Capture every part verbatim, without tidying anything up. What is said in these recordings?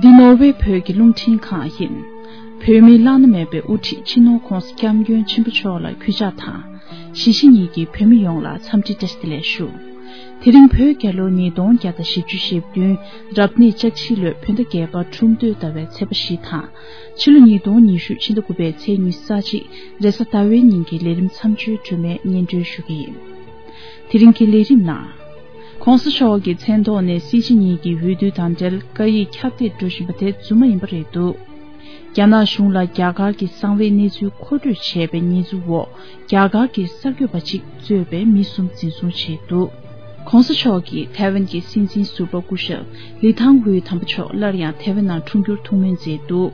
འདི་ནོར་ཝེ་བོད་ཀྱི་རླུང་འཕྲིན་ཁང་ཡིན། བོད་མིའི་བླ་ན་མེད་པའི་དབུ་ཁྲིད་སྤྱི་ནོར་༧གོང་ས་༧སྐྱབས་མགོན་ཆེན་པོ་མཆོག་ལ་གུས་ཕྱག་དང་། གཞིས་བྱེས་གཉིས་ཀྱི་བོད་མི་ཡོངས་ལ་འཚམས་འདྲི་བཀྲ་ཤིས་བདེ་ལེགས་ཞུ། དེ་རིང་བོད་རྒྱལ་ལོ་ཉིས་སྟོང་བརྒྱ་དང་བཞི་བཅུ་ཞེ་བདུན། རབ་གནས་ལྕགས་བྱི་ལོའི་བོད་ཟླ་བརྒྱད་པ་ཁྲུམས་སྟོད་ཟླ་བའི་ཚེས་པ་བཞི་དང་། ཕྱི་ལོ་ཉིས་སྟོང་ཉི་ཤུ་ཕྱི་ཟླ་དགུ་པའི་ཚེས་ཉི་ཤུ་རྩ་གཅིག་རེས་གཟའ་ཟླ་བའི་ཉིན་གྱི་ལས་རིམ་མཚམས་གཅོད་སྒྲོན་མེ་སྙན་སྒྲོན་ཞུ་གི་ཡིན། དེ་རིང་གི་ལས་རིམ་ནང་། ༧གོང་ས་མཆོག་གི་མཚན་ཐོག་ནས་སྲིད་སྤྱི་གཉིས་ཀྱི་འོས་བསྡུ་དང་འབྲེལ་བཀའ་ཡིག་ཁྱབ་གདལ་འགྲོ་བཞིན་པ་དེ་རྫུན་མ་ཡིན་པ་རེད་འདུག་རྒྱ་ནག་གཞུང་ལ་རྒྱ་གར་གྱི་གསང་བའི་གནས་ཚུལ་མཁོ་སྤྲོད་བྱས་པའི་ཉེས་འཛུགས་འོག་རྒྱ་གར་གྱི་གསར་འགོད་པ་གཅིག་གཙོས་པའི་མི་གསུམ་འཛིན་བཟུང་བྱས་འདུག ༧གོང་ས་མཆོག་གིས་ཐའེ་ཝན་གྱི་སྲིད་འཛིན་ཟུར་པ་སྐུ་ཞབས་ལི་ཐང་ཧུའེ་དམ་པ་མཆོག་སླར་ཡང་ཐའེ་ཝན་ནང་འཁྲུངས་རྒྱུར་ཐུགས་སྨོན་མཛད་འདུག་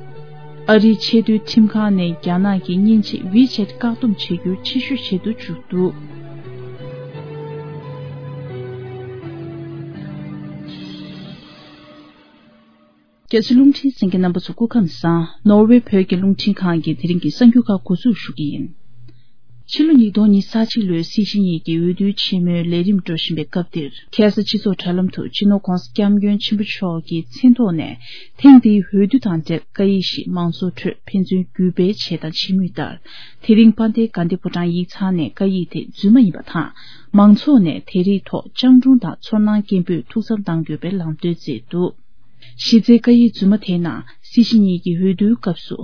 ཨ་རིའི་ཆེས་མཐོའི་ཁྲིམས་ཁང་ནས་རྒྱ་ནག་གི་མཉེན་ཆས་ཝི་ཆེད་བཀག་སྡོམ་བྱེད་རྒྱུར་ཕྱིར་བཤོལ་བྱེད་དུ་བཅུག་འདུག་རྒྱ་ཆེ་རླུང་འཕྲིན་གསན་མཁན་རྣམ་པ་ཚོ་སྐུ་ཁམས་བཟང་། ནོར་ཝེ་བོད་ཀྱི་རླུང་འཕྲིན་ཁང་གི་དེ་རིང་གི་གསར་འགྱུར་ཁག་འགོ་འཛུགས་ཞུ་གི་ཡིན། ཕྱི་ལོ་ཉིས་སྟོང་ཉི་ཤུ་རྩ་གཅིག་ལོའི་སྲིད་སྤྱི་གཉིས་ཀྱི་འོས་བསྡུའི་ཆེན་མོའི་ལས་རིམ་འགྲོ་བཞིན་པའི་སྐབས་འདིར། ཁ་སང་སྤྱི་ཚོགས་དྲ་ལམ་དུ་སྤྱི་ནོར་༧གོང་ས་༧སྐྱབས་མགོན་ཆེན་པོ་མཆོག་གི་མཚན་ཐོག་ནས་ཐེངས་འདིའི་འོས་བསྡུ་དང་འབྲེལ་བཀའ་ཡིག་ཞིག་མང་ཚོགས་ཁྲོད་ཕན་ཚུན་གུས་པའི་ཆེད་དང་བྱེད་མུས་ལྟར། དེ་རིང་དཔལ་ལྡན་དགའ་ལྡན་ཕོ་བྲང་ཡིག་ཚང་ནས་བཀའ་ཡིག་དེ་རྫུན་མ་ཡིན་པ་དང་། མང་ཚོགས་ནས་དེ་རིགས་ཐོག་སྤྱང་གྲུང་དང་ཚོར་སྣང་སྐྱེན་པོས་ཐུགས་འཚབ་གནང་དགོས་པའི་ལམ་སྟོན་མཛད་འདུག་གཞི་རྩའི་བཀའ་ཡིག་རྫུན་མ་དེའི་ནང་སྲིད་སྤྱི་གཉིས་ཀྱི་འོས་བསྡུའི་སྐབས་སུ་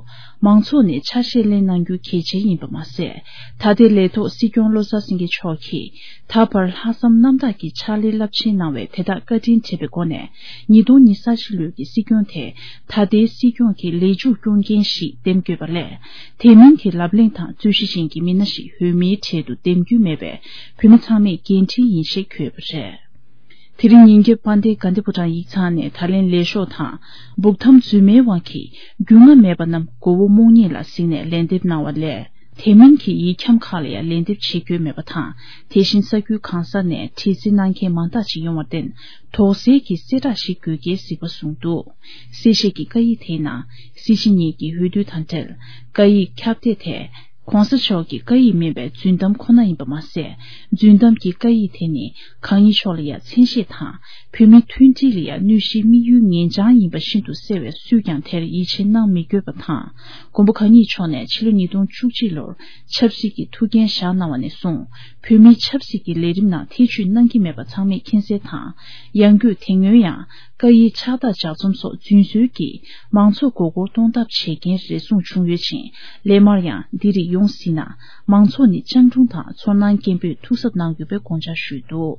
མང་ཚོགས་ནས་ཆ་ཤས་ལེན་གནང་རྒྱུ་གལ་ཆེན་ཡིན་པ་མ་ཟད། ད་ལྟའི་ལས་ཐོག་སྲིད་སྐྱོང་བློ་བཟང་སེང་གེ་མཆོག་གིས་ད་བར་ལྷག་བསམ་རྣམ་དག་གིས་ཕྱག་ལས་རླབས་ཆེན་གནང་བའི་དེ་དག་བཀའ་དྲིན་དྲན་པའི་སྒོ་ནས་ཉིས་སྟོང་ཉི་ཤུ་རྩ་གཅིག་ལོའི་གི་སྲིད་སྐྱོང་དེ་ད་ལྟའི་སྲིད་སྐྱོང་གི་ལས་མཇུག་སྐྱོང་མཁན་ཞིག་འདེམས་དགོས་པ་ལས། དེ་མིན་གྱི་ལབ་གླེང་དང་རྩོད་གཞི་ཅན་གྱི་མི་སྣ་ཞིག་འོས་མིའི་གྲལ་དུ་འདེམས་རྒྱུ་མེད་པའི་བོད་མི་ཚང་མས་འགན་འཁྲི་ཡིན་ཞེས་བཀོད་ཡོད་པ་རེད། དེ་རིང་ཉིན་རྒྱབ་དཔལ་ལྡན་དགའ་ལྡན་ཕོ་བྲང་ཡིག་ཚང་ནས་ད་ལན་ལས་ཤོག་དང་། སྦུག་ཐམ་རྫུན་མའི་དབང་གིས་རྒྱུས་མངའ་མེད་པ་རྣམས་མགོ་བོ་རྨོངས་ཉེས་ལ་གཟིགས་ནས་ལན་འདེབས་གནང་བ་ལས། དེ་མིན་གྱི་ཡིག་ཁྱམ་ཁག་ལ་ཡང་ལན་འདེབས་བྱེད་རྒྱུ་མེད་པ་དང་། དེ་བཞིན་ས་ཁུལ་གང་ས་ནས་བྲིས་རྩིས་གནང་མཁན་མང་དག་ཅིག་ཡོང་བར་བརྟེན། དོགས་སེལ་གྱི་གསལ་བསྒྲགས་ཤིག་དགོས་གལ་གཟིགས་པ་གསུངས་འདུག་གསལ་བཤད་ཀྱི་བཀའ་ཡིག་དེའི་ནང་། སྲིད་སྤྱི་གཉིས་ཀྱི་འོས་བསྡུ་དང་འབྲེལ། བཀའ་ཡིག་ཁྱབ་གདལ་དེ། ༸གོང་ས་མཆོག་གི་བཀའ་ཡིག་མིན་པའི་རྫུན་གཏམ་ཁོ་ན་ཡིན་པ་མ་ཟད། རྫུན་གཏམ་གྱི་བཀའ་ཡིག་དེ་ནི་གང་ཉིད་མཆོག་ལ་ཡང་མཚན་ཤས་དང་། བོད་མིའི་མཐུན་སྒྲིལ་ལ་ཡང་གནོད་གཞིའི་དམིགས་ཡུལ་ངན་བྱང་ཡིན་པ་ཤིན་ཏུ་གསལ་བས་སུས་ཀྱང་དེར་ཡིད་ཆེས་གནང་མི་དགོས་པ་དང་། མགོན་པོ་གང་ཉིད་མཆོག་ནས་ཕྱི་ལོ་ཉིས་སྟོང་བཅུ་གཅིག་ལོར་ཆབ་སྲིད་ཀྱི་ཐུགས་འགན་བཞག་གནང་བ་ནས་བཟུང་། བོད་མིའི་ཆབ་སྲིད་ཀྱི་ལས་རིམ་ནང་ཐེ་བྱུས་གནང་གི་མེད་པ་ཚང་མས་མཁྱེན་གསལ་དང་། ཡང་སྒོས་དེ་སྔོན་ཡང་། བཀའ་ཡིག་ཕྱག་རྟགས་ལྗགས་རྩོམ་སོགས་རྫུན་བཟོས་ཀྱིས་མང་ཚོགས་མགོ་སྐོར་གཏོང་ཐབས་བྱེད་མཁན་རེ་ཟུང་བྱུང་ཡོད་ཅིང་། སླད་མར་ཡང་འདི་རིགས་ཡོང་སྲིད་ན། མང་ཚོགས་ནི་སྤྱང་གྲུང་དང་ཚོར་སྣང་སྐྱེན་པོས་ཐུགས་གཟབ་གནང་དགོས་པའི་དགོངས་འཆར་ཞུས་འདུག་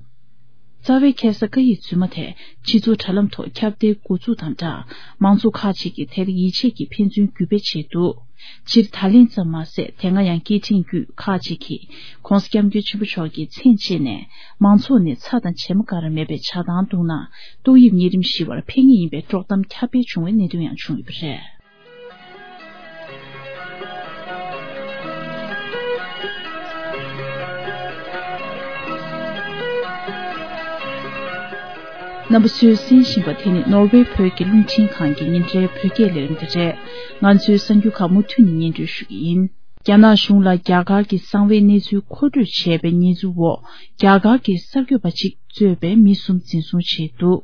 རྩ་བའི་ཁ་སང་བཀའ་ཡིག་རྫུན་མ་དེ་སྤྱི་ཚོགས་དྲ་ལམ་ཐོག་ཁྱབ་གདལ་འགོ་ཚུགས་དང་སྦྲགས། མང་ཚོགས་ཁག་ཅིག་གིས་དེར་ཡིད་ཆེས་ཀྱིས་ཕན་ཚུན་གུས་པས་བྱས་འདུག་སྤྱིར་ད་ལན་ཙམ་མ་ཟད། དེ་སྔ་ཡང་སྐད་འཕྲིན་བརྒྱུད་ཁག་ཅིག་གིས་༸གོང་ས་༸སྐྱབས་མགོན་ཆེན་པོ་མཆོག་གི་མཚན་བཅས་ནས་མང་ཚོགས་ནས་ཚྭ་དང་བྱེ་མ་ག་རེ་མེད་པའི་ཇ་ཐང་བཏུང་ན་ཏོག་དབྱིབས་གཉན་རིམས་ཞི་བར་ཕན་ངེས་ཡིན་པའི་དཀྲོག་གཏམ་ཁྱབ་སྤེལ་བྱུང་བའི་གནད་དོན་ཡང་བྱུང་ཡོད་པ་རེད། རྣམ་པ་ཚོས་གསན་བཞིན་པ་དེ་ནི་ནོར་ཝེ་བོད་ཀྱི་རླུང་འཕྲིན་ཁང་གི་ཉིན་རེའི་བོད་སྐད་ལས་རིམ་དེ་རེད། ང་ཚོའི་གསར་འགྱུར་ཁག་མུ་མཐུད་ནས་སྙན་སྒྲོན་ཞུ་གི་ཡིན། རྒྱ་ནག་གཞུང་ལ་རྒྱ་གར་གྱི་གསང་བའི་གནས་ཚུལ་མཁོ་སྤྲོད་བྱས་པའི་ཉེས་འཛུགས་འོག་རྒྱ་གར་གྱི་གསར་འགོད་པ་གཅིག་གཙོས་པའི་མི་གསུམ་འཛིན་བཟུང་བྱས་འདུག་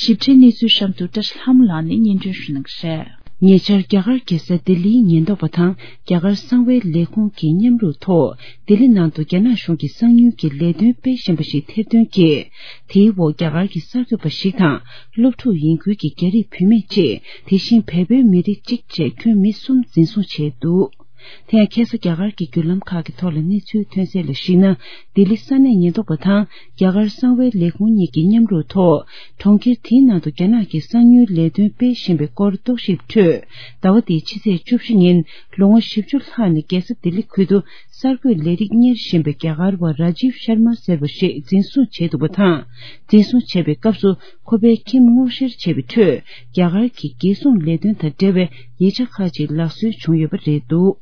ཞིབ་ཕྲའི་གནས་ཚུལ་གཤམ་དུ་བཀྲ་ཤིས་ལྷ་མོ་ལགས་ནས་སྙན་སྒྲོན་ཞུ་གནང་གི་རེད། ཉེ་ཆར་རྒྱ་གར་རྒྱལ་ས་ལྡི་ལིའི་ཉེན་རྟོག་པ་དང་རྒྱ་གར་གསང་བའི་ལས་ཁུངས་ཀྱི་མཉམ་རུབ་ཐོག་ལྡི་ལི་ནང་དུ་རྒྱ་ནག་གཞུང་གི་གསང་ཉུལ་གྱི་ལས་དོན་སྤེལ་བཞིན་པ་ཞིག་ཐེར་འདོན་གྱིས། དེའི་འོག་རྒྱ་གར་གྱི་གསར་འགོད་པ་ཞིག་དང་སློབ་ཕྲུག་ཡིན་ཁུལ་གྱི་རྒྱ་རིགས་བུད་མེད་ཅིག་དེ་བཞིན་བལ་པོའི་མི་རིགས་གཅིག་བཅས་ཁྱོན་མི་གསུམ་འཛིན་བཟུང་བྱས་འདུག་དེ་ཡང་ཁ་སང་རྒྱ་གར་གྱི་བརྒྱུད་ལམ་ཁག་གི་ཐོག་ལ་གནས་ཚུལ་ཐོན་གསལ་ལ་གཞིགས་ན། ལྡི་ལི་ས་གནས་ཉེན་རྟོག་པ་དང་རྒྱ་གར་གསང་བའི་ལས་ཁུངས་གཉིས་ཀྱི་མཉམ་རུབ་ཐོག་གྲོང་ཁྱེར་དེའི་ནང་དུ་རྒྱ་ནག་གི་གསང་ཉུལ་ལས་དོན་སྤེལ་བཞིན་པའི་སྐོར་རྟོག་ཞིབ་ཁྲོད། ཟླ་བ་འདིའི་ཕྱི་ཚེས་བཅུ་བཞི་ཉིན་ལོ་ངོ་བཞི་བཅུ་ལྷག་ནས་རྒྱལ་ས་ལྡི་ལི་ཁུལ་དུ་གསར་འགོད་ལས་རིགས་གཉེར་བཞིན་པའི་རྒྱ་གར་བ་ར་ཇིབ་ཤར་མ་ཟེར་བ་ཞིག་འཛིན་བཟུང་བྱས་འདུག་པ་དང་། འཛིན་བཟུང་བྱས་པའི་སྐབས་སུ་ཁོ་པའི་ཁྱིམ་སྔོག་བཤེར་བྱས་པའི་ཁྲོད། རྒྱ་གར་གྱི་རྒྱལ་སྲུང་ལས་དོན་དང་འབྲེལ་བའི་ཡིག་ཆ་ཁག་ཅིག་ལག་སོན་བྱུང་ཡོད་པ་རེད་འདུག་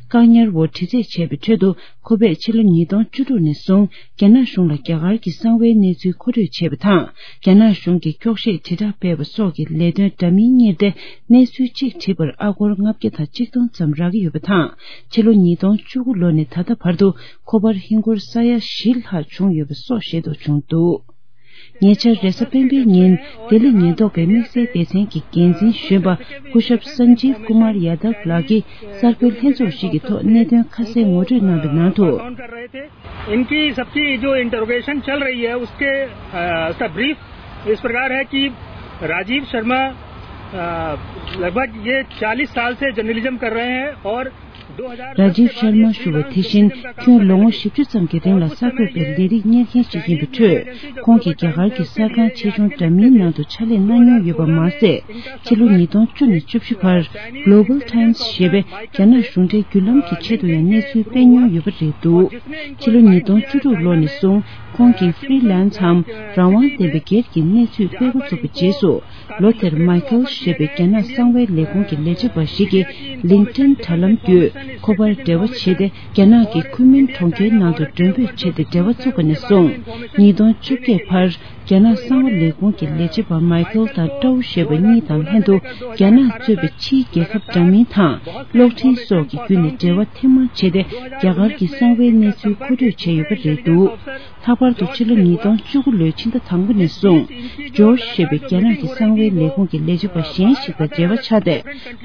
བཀག་ཉར་འོག་དྲི་རྩད་བྱས་པའི་ཁྲོད་དུ་ཁོ་པས་ཕྱི་ལོ་ཉིས་སྟོང་བཅུ་དྲུག་ནས་བཟུང་རྒྱ་ནག་གཞུང་ལ་རྒྱ་གར་གྱི་གསང་བའི་གནས་ཚུལ་མཁོ་སྤྲོད་བྱས་པ་དང་། རྒྱ་ནག་གཞུང་གི་འཁྱོག་བཤད་དྲིལ་བསྒྲགས་སྤེལ་བ་སོགས་ཀྱི་ལས་དོན་འདྲ་མིན་གཉེར་ཏེ་གནས་ཚུལ་གཅིག་བྲིས་པར་ཨ་སྒོར་ལྔ་བརྒྱ་དང་གཅིག་སྟོང་ཙམ་རག་གི་ཡོད་པ་དང་། ཕྱི་ལོ་ཉིས་སྟོང་བཅུ་དགུ་ལོ་ནས་ད་ལྟ་བར་དུ་ཁོ་པར་ཧིན་སྒོར་ས་ཡ་བཞི་ལྷག་བྱུང་ཡོད་པ་སོགས་ཤེས་རྟོགས་བྱུང་འདུག་ཉེ་ཆར་རེས་གཟའ་སྤེན་པའི་ཉིན་ལྡི་ལི་ཉེན་རྟོག་པའི་དམིགས་བསལ་སྡེ་ཚན་གྱི་འགན་འཛིན་གཞོན་པ་སྐུ་ཞབས་Sanjeev Kumar Yadav ལགས་ཀྱིས་གསར་འགོད་ལྷན་ཚོགས་ཤིག་གི་ཐོག་གནད་དོན་ཁ་གསལ་ངོ་སྤྲོད་གནང་པའི་ནང་དུ། इनकी सबकी जो इंटरोगेशन चल रही है उसके अ, उसका ब्रीफ इस प्रकार है कि राजीव शर्मा अ, लगभग ये चालीस साल से जर्नलिज्म कर रहे हैं और राजीव शर्मा ཞུ་བ་དེ་བཞིན་ཁྱོན་ལོ་ངོ་བཞི་བཅུ་ཙམ་གྱི་རིང་ལ་གསར་འགོད་པའི་ལས་རིགས་གཉེར་མཁན་ཞིག་ཡིན་པའི་ཁྲོད། ཁོང་གིས་རྒྱ་གར་གྱི་གསར་ཁང་ཆེ་ཆུང་འདྲ་མིན་ནང་དུ་ཕྱག་ལས་གནང་མྱོང་ཡོད་པ་མ་ཟད། ཕྱི་ལོ་ཉིས་སྟོང་བཅུ་ནས་བཅུ་བཞི་བར་Global Times ཞེས་པའི་རྒྱ་ནག་གཞུང་འབྲེལ་བརྒྱུད་ལམ་གྱི་ཆེད་དུ་ཡང་གནས་ཚུལ་སྤེལ་མྱོང་ཡོད་པ་རེད་འདུག་ཕྱི་ལོ་ཉིས་སྟོང་བཅུ་དྲུག་ལོ་ནས་བཟུང་ཁོང་གིས་Freelanceའམ་རང་དབང་ལྡན་པའི་སྒེར་གྱི་གནས་ཚུལ་སྤེལ་འགོ་བཙུགས་པའི་རྗེས་སུ། ལོ་དེར་མའི་ཁལ་ཞེས་པའི་རྒྱ་ནག་གསང་བའི་ལས་ཁུངས་ཀྱི་ལས་བྱེད་པ་ཞིག་གིས་LinkedIn་དྲ་ལམ་བརྒྱུད་ཁོ་པར་འབྲེལ་བ་བྱས་ཏེ། རྒྱ་ནག་གི་ཁུན་མིན་གྲོང་ཁྱེར་ནང་དུ་མགྲོན་འབོད་བྱས་ཏེ་འབྲེལ་བ་བཙུགས་པ་ནས་བཟུང་། ཉིས་སྟོང་བཅོ་བརྒྱད་བར་རྒྱ་ནག་གསང་བ་ལས་ཁུངས་ཀྱི་ལས་བྱེད་པ་མའི་ཁལ་དང་ཀྲའུ་ཞེས་པ་གཉིས་དང་ལྷན་དུ། རྒྱ་ནག་གཙོས་པའི་ཕྱིའི་རྒྱལ་ཁབ་འདྲ་མིན་དང་གློག་འཕྲིན་སོགས་ཀྱི་བརྒྱུད་ནས་འབྲེལ་བ་ཐེངས་མང་བྱས་ཏེ། རྒྱ་གར་གྱི་གསང་བའི་གནས་ཚུལ་མཁོ་སྤྲོད་བྱས་ཡོད་པ་རེད་འདུག་ལྷག་པར་དུ་ཕྱི་ལོ་ཉིས་སྟོང་བཅུ་དགུ་ལོའི་ཕྱི་ཟླ་དང་པོ་ནས་བཟུང་། ཇོརྗ་ཞེས་པའི་རྒྱ་ནག་གི་གསང་བའི་ལས་ཁུངས་ཀྱི་ལས་བྱེད་པ་གཞན་ཞིག་དང་འབྲེལ་བ་ཆགས་ཏེ།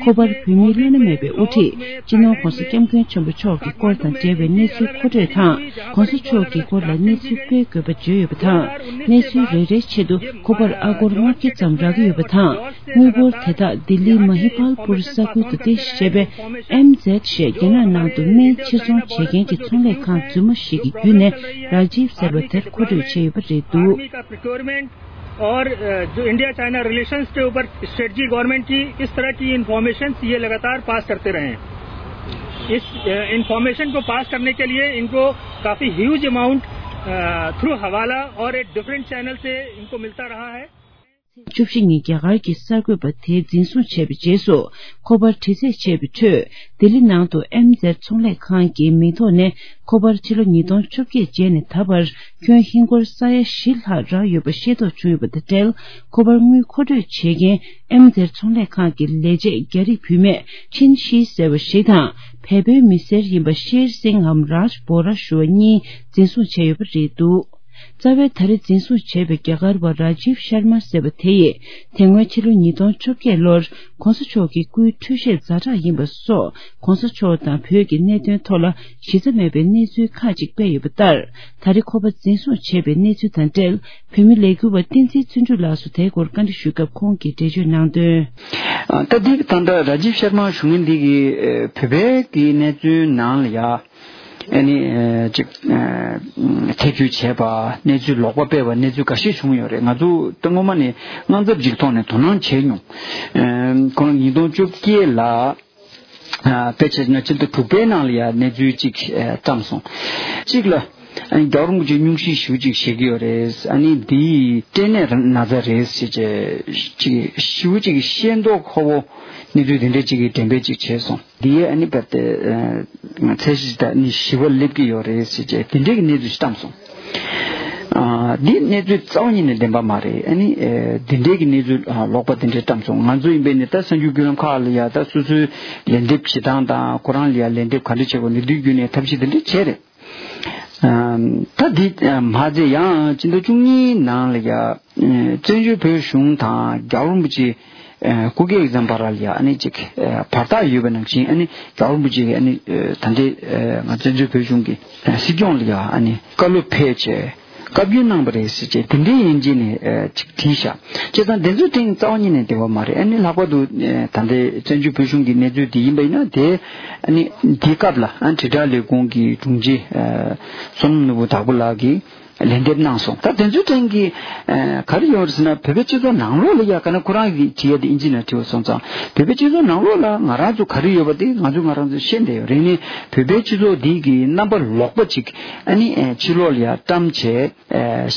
ཁོ་པར་བོད་མིའི་བླ་ན་མེད་པའི་དབུ་ཁྲིད་སྤྱི་ནོར་༧གོང་ས་༧སྐྱབས་མགོན་ཆེན་པོ་མཆོག་གི་སྐོར་དང་འབྲེལ་བའི་གནས་ཚུལ་མཁོ་སྤྲོད་དང་། ༧གོང་ས་མཆོག་གི་སྐོར་ལ་གནས་ཚུལ་སྤེལ་དགོས་པ་བརྗོད་ཡོད་པ་དང་། གནས་ཚུལ་རེ་རེའི་ཆེད་དུ་ཁོ་པར་ཨ་སྒོར་ལྔ་བརྒྱ་ཙམ་རག་གི་ཡོད་པ་དང་། དངུལ་འབོར་དེ་དག་ལྡི་ལིའི་མ་ཧི་པཱལ་པུར་ས་ཁུལ་དུ་རྟེན་གཞི་བྱས་པའི་ཨེམ་ཛེད་ཞེས་རྒྱ་ནག་ནང་དུ་སྨན་ཕྱིར་ཚོང་བྱེད་མཁན་གྱི་ཚོང་ལས་ཁང་རྫུན་མ་ཞིག་གི་བརྒྱུད་ནས་རཱ་ཇིབ་ཟེར་བ་དེར་མཁོ་སྤྲོད་བྱས་ཡོད་པ་རེད་འདུག་ཨར་ཇོ་ཨིན་ཌི་ཡ་ཅཱའི་ན་རི་ལེ་ཤན་སི་ཀེ་ཨུ་པར་སི་ཊེ་ཊི་ཇི་གོ་ཝར་མེན་ཊི་ཀི་ཨིས་ཏར་ཀི་ཨིན་ཕོར་མེ་ཤན་ཡེ་ལ་ག་ཏར་པ་ས་ཀར་ཏེ་རེ། ཨིན་ཕོར་མེ་ཤན་ཀོ་པ་ས་ཀར་ནེ་ཀེ་ལི་ཡེ་ཨིན་ཀོ་ཀ་ཕི་ཧིའུ་ཇི་ཨ་མའུན་ཊ་ཐུ་རུ་ཧ་ཝ་ལ་ཨོར་ཨེ་ཌི་ཕ་རེན་ཊི་ཅེ་ནལ་སེ་ཨིན་ཀོ་མིལ་ཏ་ར་ཧ་ཧེ། བཅུ་བཞི་ཉིན་རྒྱ་གར་གྱི་གསར་འགོད་པ་དེ་འཛིན་བཟུང་བྱས་པའི་རྗེས་སུ། ཁོ་པར་དྲི་རྩད་བྱས་པའི་ཁྲོད། ལྡི་ལི་ནང་དུ་ཨེམ་ཛེད་ཚོང་ལས་ཁང་གི་མིང་ཐོག་ནས་ཁོ་པར་ཕྱི་ལོ་ཉིས་སྟོང་བཅོ་བརྒྱད་རྗེས་ནས་ད་བར་ཁྱོན་ཧིན་སྒོར་ས་ཡ་བཞི་ལྷག་རག་ཡོད་པ་ཤེས་རྟོགས་བྱུང་ཡོད་པ་དང་འབྲེལ། ཁོ་པར་དངུལ་མཁོ་སྤྲོད་བྱེད་མཁན་ཨེམ་ཛེད་ཚོང་ལས་ཁང་གི་ལས་བྱེད་རྒྱ་རིགས་བུད་མེད་ཆིན་ཤི་ཟེར་བ་ཞིག་དང་། བལ་པོའི་མི་སེར་ཡིན་པ་ཤེར་སིང་ངམ་རཱཇ་བོ་ར་ཞུ་བ་གཉིས་འཛིན་བཟུང་བྱས་ཡོད་པ་རེད་འདུག་རྩ་བའི་ད་རེས་འཛིན་བཟུང་བྱས་པའི་རྒྱ་གར་བ་རཱ་ཇིབ་ཤར་མ་ཟེར་བ་དེ་ཡིས། དེ་སྔོན་ཕྱི་ལོ་ཉིས་སྟོང་བཅོ་བརྒྱད་ལོར་༧གོང་ས་མཆོག་གི་སྐུའི་འཕྲོད་བཞེས་ཛ་དྲག་ཡིན་པ་སོགས། ༧གོང་ས་མཆོག་དང་བོད་ཀྱི་གནད་དོན་ཐོག་ལ་གཞི་རྩ་མེད་པའི་གནས་ཚུལ་ཁག་ཅིག་སྤེལ་ཡོད་པ་ལྟར། ད་རེས་ཁོ་པ་འཛིན་བཟུང་བྱས་པའི་གནས་ཚུལ་དང་འབྲེལ། བོད་མི་ལས་འགུལ་བ་བསྟན་འཛིན་བརྩོན་འགྲུས་ལགས་སུ་དེའི་སྐོར་བཀའ་འདྲི་ཞུས་སྐབས་ཁོང་གིས་འགྲེལ་བརྗོད་གནང་དོན། ད་ལྟའི་ད་ལྟ་རཱ་ཇིབ་ཤར་མ་ཞུ་མཁན་འདི་གིས་བོད་པའི་གི་གནས་ཚུལ་ནང་ལ་ཡ། ཨ་ནི་ཅིག་ཐེ་བྱུས་བྱས་པ་གནས་ཚུལ་ལོག་པ་སྤེལ་བ་གནས་ཚུལ་འགའ་ཤས་བྱུང་ཡོད་རེད། ང་ཚོ་ད་སྔོན་མ་ནས་དངངས་འཚབ་ཅིག་ཐོག་ནས་དོ་སྣང་བྱས་མྱོང་། ཁོང་ཉིས་སྟོང་བཅོ་བརྒྱད་ལ་དཔེ་བྱས་ན་ཕྱི་ཟླ་དྲུག་པའི་ནང་ལ་ཡ་གནས་ཚུལ་ཅིག་བཀྲམ་སོང་། གཅིག་ལ་ཨ་ནི་རྒྱལ་བ་རིན་པོ་ཆེ་སྙུང་གཞི་ཞེ་པོ་ཅིག་བཞེས་ཀྱི་ཡོད་རེད། ཨ་ནི་འདི་སྐྲན་ནད་ན་ཚ་རེད་ཟེར་བྱས་ཅིག་ཞེ་པོ་ཅིག་ཤེས་མདོག་ཁ་པོ་གནས་ཚུལ་དེ་འདྲ་ཅིག་གི་འགྲེམས་སྤེལ་ཅིག་བྱས་སོང་། འདིའི་ཨ་ནི་བར་དེ་ཚད་གཞི་དང་ནི་ཞི་བ་སླེབས་ཀྱི་ཡོད་རེད་ཟེར་བྱས་དེ་འདྲའི་གི་གནས་ཚུལ་ཞིག་བཀྲམ་སོང་། ཨ་འདི་གནས་ཚུལ་རྩ་བ་ཉིད་ནས་བདེན་པ་མ་རེད། ཨ་ནི་དེ་འདྲའི་གི་གནས་ཚུལ་ལོག་པ་དེ་འདྲའི་བཀྲམ་སོང་། ང་ཚོ་ཡིན་པས་ནི་ད་གསར་འགྱུར་བརྒྱུད་ལམ་ཁག་ལ་ཡ་ད་སོ་སོའི་ལན་འདེབས་བྱེད་སྟངས་དང་ཁོ་རང་ལ་ཡ་ལན་འདེབས་ག་འདྲ་བྱེད་དགོས་ནི་འདི་བརྒྱུད་ནས་ཐབས་ཤེས་དེ་འདྲ་བྱས་རེད། ད་འདི་མ་ཚད་ཡང་སྤྱི་ཟླ་བཅུ་གཉིས་ནང་ལ་ཡ་བཙན་བྱོལ་བོད་གཞུང་དང་རྒྱལ་བ་རིན་པོ་ཆེ་སྐུ་སྒེར་ཨེག་ཛམ་བར་ལ་ཡ་ཨ་ནི་ཅིག་བར་ཐག་ཡོད་པ་ནང་བཞིན་ཨ་ནི་རྒྱལ་བ་རིན་པོ་ཆེ་གིས་ཨ་ནི་ད་ལྟའི་ང་བཙན་བྱོལ་བོད་གཞུང་གི་སྲིད་སྐྱོང་ལ་ཡ་ཨ་ནི་བཀའ་སློབ་ཕེབས་བྱས་བཀའ་བཀྱོན་གནང་པ་རེད་ཟེར་བྱས་དེ་འདྲའི་ཡན་ཆད་ནས་ཅིག་བྲིས་བཞག་བྱས་ཙང་དེ་ཚོའི་སྟེང་རྩ་བ་ཉིད་ནས་བདེན་པ་མ་རེད། ཨ་ནི་ལྷག་པར་དུ་ད་ལྟའི་བཙན་བྱོལ་བོད་གཞུང་གི་གནས་ཚུལ་འདི་ཡིན་པ་ཡིན་ན་དེ་ཨ་ནི་འདི་སྐབས་ལ་ཨ་དྲིལ་བསྒྲགས་ལས་ཁུངས་ཀྱི་དྲུང་ཆེ་བསོད་ནམས་ནོར་བུ་དྭགས་པོ་ལགས་ཀྱིས། ལན་འདེབས་གནང་སོང་། ད་དེ་ཚོའི་སྟེང་གི་ཨ་ག་རེ་ཡོད་རེད་ཟེར་ན་བོད་པའི་སྤྱི་ཚོགས་ནང་ལོགས་ལ་ཡ་ག་ན་ཁོ་རང་གིས་བྲིས་ཡ་དེ་ཨིན་ཇི་ནང་བྲིས་པ་སོང་ཙང་བོད་པའི་སྤྱི་ཚོགས་ནང་ལོགས་ལ་ང་རང་ཚོ་ག་རེ་ཡོད་པ་དེ་ང་ཚོ་ང་རང་ཚོ་ཤེས་བསྡད་ཡོད་རེད། ནི་བོད་པའི་སྤྱི་ཚོགས་འདི་གི་རྣམ་པ་ལོག་པ་ཅིག་ཨ་ནི་ཕྱི་ལོགས་ལ་ཡ་བཀྲམ་བྱས་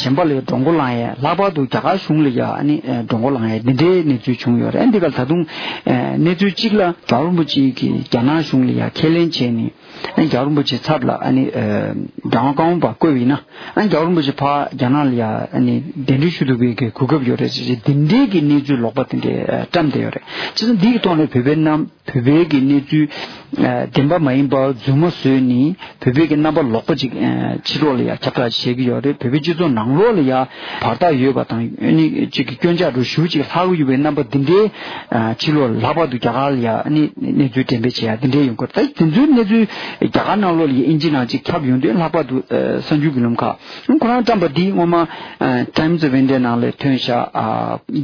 གཞན་པ་ལ་ཡ་མགྲོན་སྒོ་ལངས་ཡ་ལྷག་པར་དུ་རྒྱ་གར་གཞུང་ལ་ཡ་ཨ་ནི་མགྲོན་སྒོ་ལངས་ཡ་འདི་འདྲའི་གནས་ཚུལ་བྱུང་ཡོད་རེད། འདི་ག་ད་དུང་གནས་ཚུལ་གཅིག་ལ་རྒྱལ་བ་རིན་པོ་ཆེ་གིས་རྒྱ་ནག་གཞུང་ལ་ཡ་ཁས་ལེན་བྱས་ནས། ཨ་ནི་རྒྱལ་བ་རིན་པོ་ཆེའི་ཚབ་ལ་ཨ་ནི་ཨ་དྲང་བཀའ་འོག་པ་བསྐོས་པ་ཡིན་ན་ཨ་ནི་རྒྱལ་བ། རིན་པོ་ཆེ་ཕར་རྒྱ་ནག་ལ་ཡ་ཨ་ནི་གདན་འདྲེན་ཞུ་ཐུབ་པའི་གི་གོ་སྐབས་ཡོད་རེད་ཅེས་འདི་འདྲའི་གི་གནས་ཚུལ་ལོག་པ་དེ་འདྲའི་བཀྲམ་བསྡད་ཡོད་རེད། བྱས་ཙང་འདི་གི་ཐོག་ནས་བོད་པའི་རྣམ་བོད་པའི་གི་གནས་ཚུལ་བདེན་པ་མ་ཡིན་པ་རྫུན་མ་བཟོས་ནས་བོད་པའི་གི་རྣམ་པ་ལོག་པ་ཅིག་ཕྱི་ལོགས་ལ་ཡ་ཁྱབ་བསྒྲགས་བྱེད་ཀྱི་ཡོད་རེད། བོད་པའི་སྤྱི་ཚོགས་ནང་ལོགས་ལ་ཡ་བར་ཐག་ཡོད་པ་དང་ཨ་ནི་ཅིག་གི་སྐྱོན་ཆ་རུ་ཞུ་ཅིག་ལྷག་གི་ཡོད་པའི་རྣམ་པ་འདི་འདྲའི་ཕྱི་ལོགས་ལྷག་པར་དུ་རྒྱ་གར་ལ་ཡ་ཨ་ནི་གནས་ཚུལ་འགྲེམས་སྤེལ་བྱེད་ཡ་འདི་འདྲའི་ཡོང་གི་རེད། ད་དེ་ཚོའི་གནས་ཚུལ་རྒྱ་གར་ནང་ལོགས་ལ་ཡ་ཨིན་ཇི་ནང་ཅིག་ཁྱབ་ཡོང་དུས་ལྷག་པར་དུ་གསར་འགྱུར་གྱི་ལམ་ཁག་ཁོ་རང་བཀྲམ་པ་འདི་སྔོན་མ་Times of India ནང་ལ་ཐོན་ཤག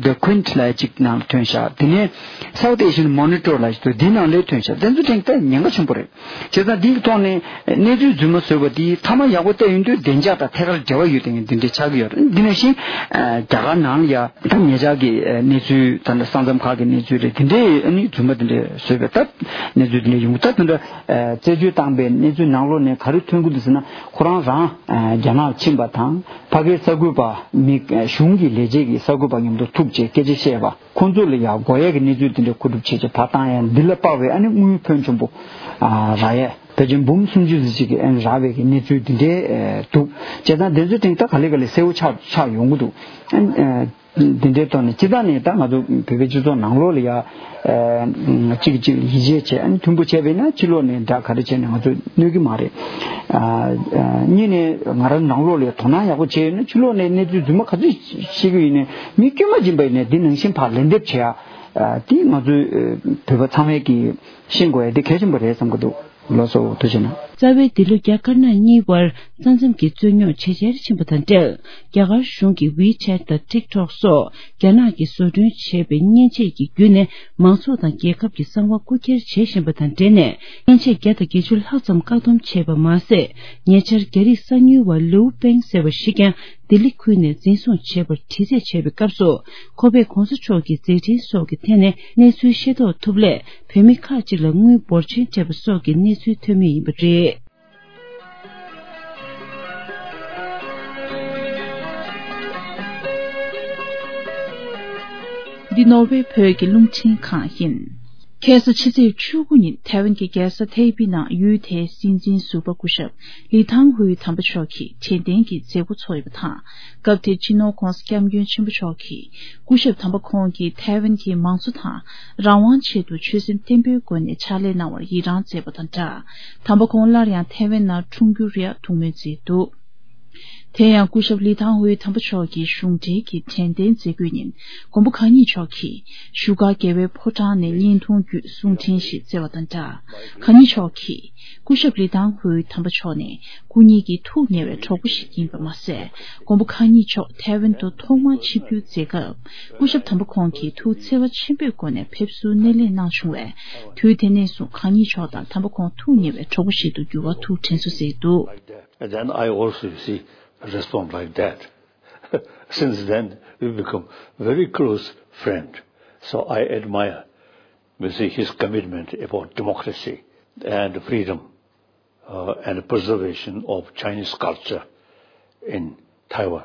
The Quint ལབ་ཅིག་ནང་ལ་ཐོན་ཤག་དེ་ནས་South Asian Monitor ལབ་ཅིག་འདུག་འདི་ནང་ལ་ཐོན་ཤག་དེ་ཚོ་དྲན་ད་ཉེན་ཁ་ཆེན་པོ་རེད། བྱས་ཙང་འདིའི་ཐོག་ནས་གནས་ཚུལ་རྫུན་མ་བཟོས་པ་འདི་ཐ་མ་ཡག་པོ་བལྟས་ཡོང་དུས་བདེ་འཇགས་དང་ཐད་ཀར་འབྲེལ་བ་ཡོད་དེ་འདི་འདྲའི་ཆགས་ཀྱི་ཡོད་རེད། འདི་ནང་བཞིན་རྒྱ་གར་ནང་ལ་ཡ་ད་ཉེ་ཆར་གྱི་གནས་ཚུལ་ད་ལྟ་ས་མཚམས་ཁག་གི་གནས་ཚུལ་རེད། དེ་འདྲའི་ནི་རྫུན་མ་དེ་འདྲའི་བཟོས་པའི་ད་གནས་ཚུལ་དེ་འདྲ་ཡོང་གི་ད་དེ་འདྲ་རྩད་གཅོད་བཏང་པའི་གནས་ཚུལ་ནང་ལོགས་ནས་ག་རེ་ཐོན་གྱི་འདུག་ཟེར་ན། ཁོ་རང་རང་རྒྱ་ནག་ཕྱིན་པ་དང་ཕ་གིའི་གསར་འགོད་པ་མི་གཞུང་གི་ལས་བྱེད་ཀྱི་གསར་འགོད་པ་མཉམ་དུ་ཐུག་བྱས་སྐད་ཆ་བཤད་པ། ཁོང་ཚོ་ལ་ཡང་དགོས་ཡས་ཀྱི་གནས་ཚུལ་དེ་འདྲ་མཁོ་སྒྲུབ་བྱེད་ཆེད་ཕར་བཏང་ཡ་འདི་ལ་དཔག་པའི་ཨ་ནི་དངུལ་ཕོན་ཆེན་པོ་རག་ཡས་ཕལ་ཆེར་འབུམ་སུམ་ཅུ་ཙམ་ཅིག་གི་ཨ་ནི་རག་པའི་གི་གནས་ཚུལ་འདི་འདྲའི་འདུག་བྱས་ཙང་དེ་ཚོའི་སྟེང་ད་ག་ལེ་ག་ལེ་གསལ་བོ་ཆགས་ཆགས་ཡོང་གི་འདུག་འདི་འདྲའི་ཐོག་ནས་སྤྱི་བཏང་ནས་ད་ང་ཚོ་བོད་པའི་སྤྱི་ཚོགས་ནང་ལོགས་ལ་ཡ་གཅིག་གཅིག་ལ་ཡིད་ཆེས་བྱས་ཨ་ནི་མཐུན་པོ་བྱས་པས་ན་ཕྱི་ལོགས་ནས་འདྲ་ག་རེ་བྱས་ནས་ང་ཚོ་གནོད་ཀྱི་མ་རེད། གཉིས་ནས་ང་རང་ནང་ལོགས་ལ་ཡ་དོ་སྣང་ཡག་པོ་བྱས་ཡོད་ན་ཕྱི་ལོགས་ནས་གནས་ཚུལ་རྫུན་མ་ག་ཚོད་ཤེས་ཀྱི་ཡིན་ནའི་མི་དཀྱུས་མ་སྦྱིན་པ་ཡིན་ནའི་འདི་ནང་བཞིན་ཕར་ལན་འདེབས་བྱེད་ཡ། དེ་ང་ཚོའི་བོད་པ་ཚང་མས་ཀྱིས་ཤེས་དགོས་ཡ་དེ་གལ་ཆེན་པོ་རེད་བསམ་གྱི་འདུག་ལགས་སོ། ཐུགས་རྗེ་གནང་། རྩ་བའི་འདི་ལོ་རྒྱ་དཀར་ནག་གཉིས་དབར་ས་མཚམས་ཀྱི་རྩོད་རྙོག་ཇེ་ཆེར་ཕྱིན་པ་དང་འབྲེལ། རྒྱ་གར་གཞུང་གིས་WeChat་དང་TikTok་སོགས་རྒྱ་ནག་གིས་བཟོ་སྐྲུན་བྱས་པའི་མཉེན་ཆས་ཀྱི་བརྒྱུད་ནས་མང་ཚོགས་དང་རྒྱལ་ཁབ་ཀྱི་གསང་བ་རྐུ་འཁྱེར་བྱེད་བཞིན་པ་དང་འབྲེལ་ནས། མཉེན་ཆས་བརྒྱ་དང་བརྒྱད་ཅུ་ལྷག་ཙམ་བཀག་སྡོམ་བྱས་པ་མ་ཟད། ཉེ་ཆར་རྒྱ་རིགས་གསང་ཉུལ་བ་ལིའུ་པེང་ཟེར་བ་ཞིག་ཀྱང་ལྡི་ལི་ཁུལ་ནས་འཛིན་བཟུང་བྱས་པར་དྲི་རྩད་བྱས་པའི་སྐབས་སུ། ཁོ་པས་གོང་ས་མཆོག་གི་མཛད་འཕྲིན་སོགས་ཀྱི་ཐད་ནས་གནས་ཚུལ་ཤེས་རྟོགས་ཐུབ་སླད། བོད་མི་ཁག་ཅིག་ལ་དངུལ་འབོར་ཆེན་སྤྲད་པ་སོགས་ཀྱི་གནས་ཚུལ་ཐོན་མུས་ཡིན་པ་རེད། འདི་ནོར་ཝེ་བོད་ཀྱི་རླུང་འཕྲིན་ཁང་ཡིན། ཁ་སང་ཕྱི་ཚེས་བཅུ་དགུ་ཉིན་ཐའེ་ཝན་གྱི་རྒྱལ་ས་ཐའེ་པེ་ནང་ཡུལ་དེའི་སྲིད་འཛིན་ཟུར་པ་སྐུ་ཞབས་ལི་ཐང་ཧུའེ་དམ་པ་མཆོག་གིས་དྲན་རྟེན་གྱི་མཛད་སྒོ་ཚོགས་ཡོད་པ་དང་། སྐབས་དེར་སྤྱི་ནོར་༧གོང་ས་༧སྐྱབས་མགོན་ཆེན་པོ་མཆོག་གིས་སྐུ་ཞབས་དམ་པ་ཁོང་གིས་ཐའེ་ཝན་གྱི་མང་གཙོ་དང་རང་དབང་ཆེད་དུ་ཆོད་སེམས་བརྟན་པོའི་སྒོ་ནས་ཕྱག་ལས་གནང་བར་ཡི་རངས་མཛད་པ་དང་སྦྲགས། དམ་པ་ཁོང་སླར་ཡང་ཐའེ་ཝན་ནང་འཁྲུངས་རྒྱུར་ཡང་ཐུགས་སྨོན་མཛད་འདུག་དེ་ཡང་སྐུ་ཞབས་ལི་ཐང་ཧུའེ་དམ་པ་མཆོག་གི་གཞུང་འབྲེལ་གྱི་དྲན་རྟེན་མཛད་སྒོའི་ཉིན། མགོན་པོ་གང་ཉིད་མཆོག་གིས་བཞུགས་སྒར་རྒྱལ་བའི་ཕོ་བྲང་ནས་བརྙན་ཐུང་བརྒྱུད་གསུང་འཕྲིན་ཞིག་བསྩལ་བ་དང་སྦྲགས། གང་ཉིད་མཆོག་གིས་སྐུ་ཞབས་ལི་ཐང་ཧུའེ་དམ་པ་མཆོག་ནི་སྐུ་ཉིད་ཀྱི་ཐུགས་ཉེ་བའི་གྲོགས་པོ་ཞིག་ཡིན་པ་མ་ཟད། མགོན་པོ་གང་ཉིད་མཆོག་ཐའེ་ཝན་དུ་ཐོག་མར་ཆིབས་བསྒྱུར་མཛད་སྐབས། སྐུ་ཞབས་དམ་པ་ཁོང་གིས་ཐུགས་བརྩེ་བ་ཆེན་པོའི་སྒོ་ནས་ཕེབས་བསུར་སྣེ་ལེན་གནང་བྱུང་བས། དུས་དེ་ནས་བཟུང་གང་ཉིད་མཆོག་དང་དམ་པ་ཁོང་ཐུགས་ཉེ་བའི་གྲོགས་པོ་ཞིག་ཏུ་འགྱུར་བར་ཐུགས་དྲན་གསོ་མཛད་འདུག And then I also, you see, respond like that. Since then, we become very close friend. So I admire, you see, his commitment about democracy and freedom, uh, and preservation of Chinese culture in Taiwan.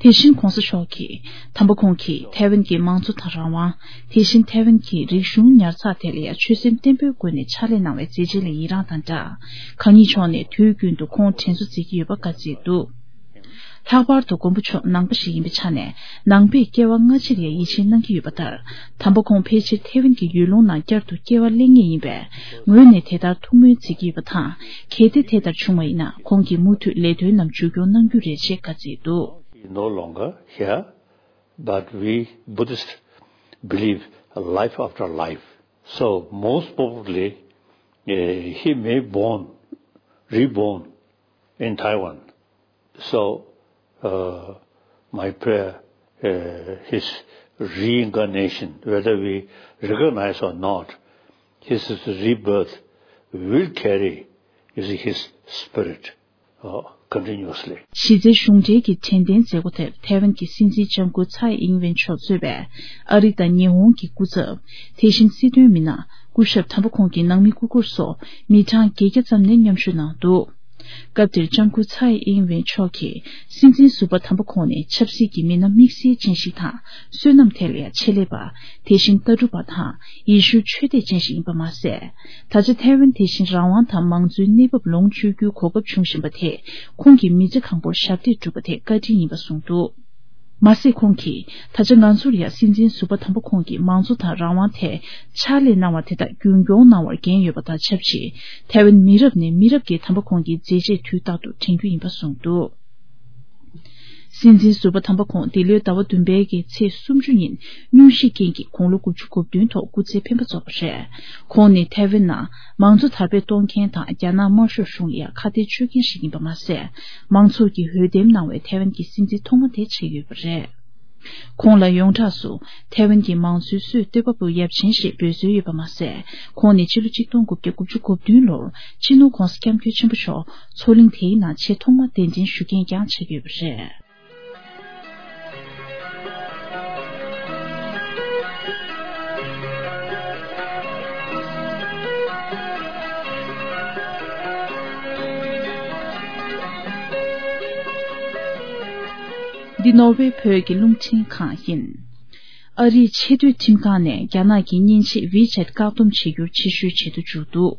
དེ་བཞིན་གོང་ས་མཆོག་གིས་དམ་པ་ཁོང་གིས་ཐའེ་ཝན་གྱི་མང་གཙོ་དང་རང་དབང་། དེ་བཞིན་ཐའེ་ཝན་གྱི་རིག་གཞུང་ཉར་ཚགས་ཐད་ལ་ཡང་ཆོད་སེམས་བརྟན་པོའི་སྒོ་ནས་ཕྱག་ལས་གནང་བའི་མཛད་རྗེས་ལ་ཡི་རངས་དང་སྦྲགས། གང་ཉིད་མཆོག་ནས་དུས་རྒྱུན་དུ་ཁོང་དྲན་གསོ་མཛད་ཀྱི་ཡོད་པ་བཀའ་སྩལ་འདུག་ལྷག་པར་དུ་མགོན་པོ་མཆོག་ནང་པ་ཞིག་ཡིན་པའི་ཆ་ནས་ནང་པས་སྐྱེ་བ་སྔ་ཕྱིར་ཡང་ཡིད་ཆེས་གནང་གི་ཡོད་པ་ལྟར། དམ་པ་ཁོང་ཕལ་ཆེར་ཐའེ་ཝན་གྱི་ཡུལ་ལུང་ནང་བསྐྱར་དུ་སྐྱེ་བ་ལེན་ངེས་ཡིན་པས། ངོས་ནས་དེ་ལྟར་ཐུགས་སྨོན་མཛད་ཀྱི་ཡོད་པ་དང་། གལ་ཏེ་དེ་ལྟར་བྱུང་བ་ཡིན་ན་ཁོང་གིས་མུ་མཐུད་ལས་དོན་རྣམས་མཇུག་སྐྱོང་གནང་རྒྱུ་རེད་ཅེས་བཀའ་སྩལ་འདུག He is no longer here, but we Buddhists believe life after life. So most probably, eh, he may born, reborn in Taiwan. So, uh, my prayer, uh, his reincarnation, whether we recognize or not, his rebirth will carry, you see, his spirit, uh, continuously. གཞི་རྩའི་གཞུང་འབྲེལ་གྱི་དྲན་རྟེན་མཛད་སྒོ་དེར་ཐའེ་ཝན་གྱི་སྲིད་འཛིན་ལྕམ་སྐུ་ཚའེ་ཨིང་ཝེན་མཆོག་གཙོས་པའི་ཨ་རི་དང་ཉི་ཧོང་གི་སྐུ་ཚབ། དེ་བཞིན་སྲིད་དོན་མི་སྣ། སྐུ་ཞབས་དམ་པ་ཁོང་གི་ནང་མི་སྐུ་འཁོར་སོགས་མི་གྲངས་བརྒྱད་བརྒྱ་ཙམ་ནས་མཉམ་ཞུགས་གནང་འདུག་སྐབས་དེར་ལྕམ་སྐུ་ཚའེ་ཨིན་ཝེན་མཆོག་གིས་སྲིད་འཛིན་ཟུར་པ་དམ་པ་ཁོང་ནི་ཆབ་སྲིད་ཀྱི་མི་སྣ་དམིགས་བསལ་ཅན་ཞིག་དང་། བསོད་ནམས་ཐད་ལ་ཡང་ཆེད་ལས་པ། དེ་བཞིན་ལྟ་གྲུབ་པ་དང་ཡེ་ཤུ་ཆོས་དད་ཅན་ཞིག་ཡིན་པ་མ་ཟད། ད་ཆ་ཐའེ་ཝན་དེ་བཞིན་རང་དབང་དང་མང་གཙོའི་གནས་བབ་ལོངས་སྤྱོད་རྒྱུའི་གོ་སྐབས་བྱུང་བཞིན་པ་དེས་ཁོང་གི་མི་ཚེ་གང་པོར་ཞབས་འདེགས་བསྒྲུབས་པ་དེ་བཀའ་དྲིན་ཡིན་པ་གསུངས་འདུག་མ་ཟད་ཁོང་གིས། ད་ཆ་ང་ཚོར་ཡང་སྲིད་འཛིན་ཟུར་པ་དམ་པ་ཁོང་གིས་མང་གཙོ་དང་རང་དབང་ཐད་ཕྱག་ལས་གནང་བ་དེ་དག་རྒྱུན་སྐྱོང་གནང་བར་འགན་ཡོད་པ་དང་ཆབས་ཅིག་ཐའེ་ཝན་མི་རབས་ནས་མི་རབས་ཀྱི་དམ་པ་ཁོང་གི་མཛད་རྗེས་དུས་རྟག་ཏུ་དྲན་རྒྱུ་ཡིན་པ་གསུངས་འདུག་སྲིད་འཛིན་ཟུར་པ་དམ་པ་ཁོང་འདི་ལོའི་ཟླ་བ་བདུན་པའི་གི་ཚེས་སུམ་ཅུ་ཉིན་སྙུང་གཞིའི་རྐྱེན་གྱིས་དགུང་ལོ་དགུ་བཅུ་གོ་བདུན་ཐོག་སྐུ་ཚེ་འཕེན་པ་རྫོགས་པ་རེད། ཁོང་ནི་ཐའེ་ཝན་ནང་མང་གཙོ་དར་སྤེལ་གཏོང་མཁན་དང་རྒྱ་ནག་དམར་ཤོག་གཞུང་ལ་ཡང་ཁ་གཏད་གཅོག་མཁན་ཞིག་ཡིན་པ་མ་ཟད། མང་ཚོགས་ཀྱིས་འོས་འདེམས་གནང་བའི་ཐའེ་ཝན་གྱི་སྲིད་འཛིན་ཐོག་མ་དེ་ཆགས་ཡོད་པ་རེད། ཁོང་ལ་ཡོངས་གྲགས་སུ་ཐའེ་ཝན་གྱི་མང་གཙོའི་སྲོལ་གཏོད་པ་པོ་ཡབ་ཆེན་ཞེས་འབོད་སྲོལ་ཡོད་པ་མ་ཟད། ཁོང་ནི་ཕྱི་ལོ་ཆིག་སྟོང་དགུ་བརྒྱ་དགུ་བཅུ་གོ་བདུན་ལོར་སྤྱི་ནོར་༧གོང་ས་༧སྐྱབས་མགོན་ཆེན་པོ་མཆོག་མཚོ་གླིང་དེའི་ནང་ཆེས་ཐོག་མ་གདན་འདྲེན་ཞུ་མཁན་ཀྱང་ཆགས་ཡོད་པ་རེད། འདི་ནོར་ཝེ་བོད་ཀྱི་རླུང་འཕྲིན་ཁང་ཡིན། ཨ་རིའི་ཆེས་མཐོའི་ཁྲིམས་ཁང་ནས་རྒྱ་ནག་གི་མཉེན་ཆས་ཝི་ཆེད་བཀག་སྡོམ་བྱེད་རྒྱུར་ཕྱིར་བཤོལ་བྱེད་དུ་འཇུག་འདུག་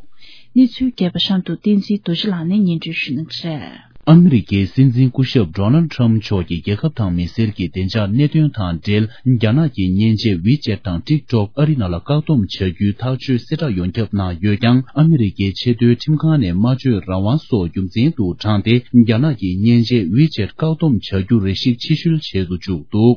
གནས་ཚུལ་རྒྱས་པ་གཤམ་དུ་བསྟན་འཛིན་རྡོ་རྗེ་ལགས་ནས་སྙན་སྒྲོན་ཞུ་གནང་གི་རེད། ཨ་མི་རི་ཀའི་སྲིད་འཛིན་སྐུ་ཞབས་ཌོ་ནལ་ཊམ་མཆོག་གིས་རྒྱལ་ཁབ་དང་མི་སེར་གྱི་བདེ་འཇགས་གནད་དོན་དང་འབྲེལ། རྒྱ་ནག་གི་མཉེན་ཆས་ཝི་ཆེད་དང་ཊིག་ཊོག་ཨ་རི་ནང་ལ་བཀག་སྡོམ་བྱ་རྒྱུའི་ཐག་གཅོད་གསལ་བསྒྲགས་ཡོངས་ཁྱབ་གནང་ཡོད་ཀྱང་། ཨ་མི་རི་ཀའི་ཆེས་མཐོའི་ཁྲིམས་ཁང་ནས་སྨྲ་བརྗོད་རང་དབང་སོགས་རྒྱུ་མཚན་དུ་དྲངས་ཏེ། རྒྱ་ནག་གི་མཉེན་ཆས་ཝི་ཆེད་བཀག་སྡོམ་བྱ་རྒྱུ་རེ་ཞིག་ཕྱིར་བཤོལ་བྱེད་དུ་བཅུག་འདུག་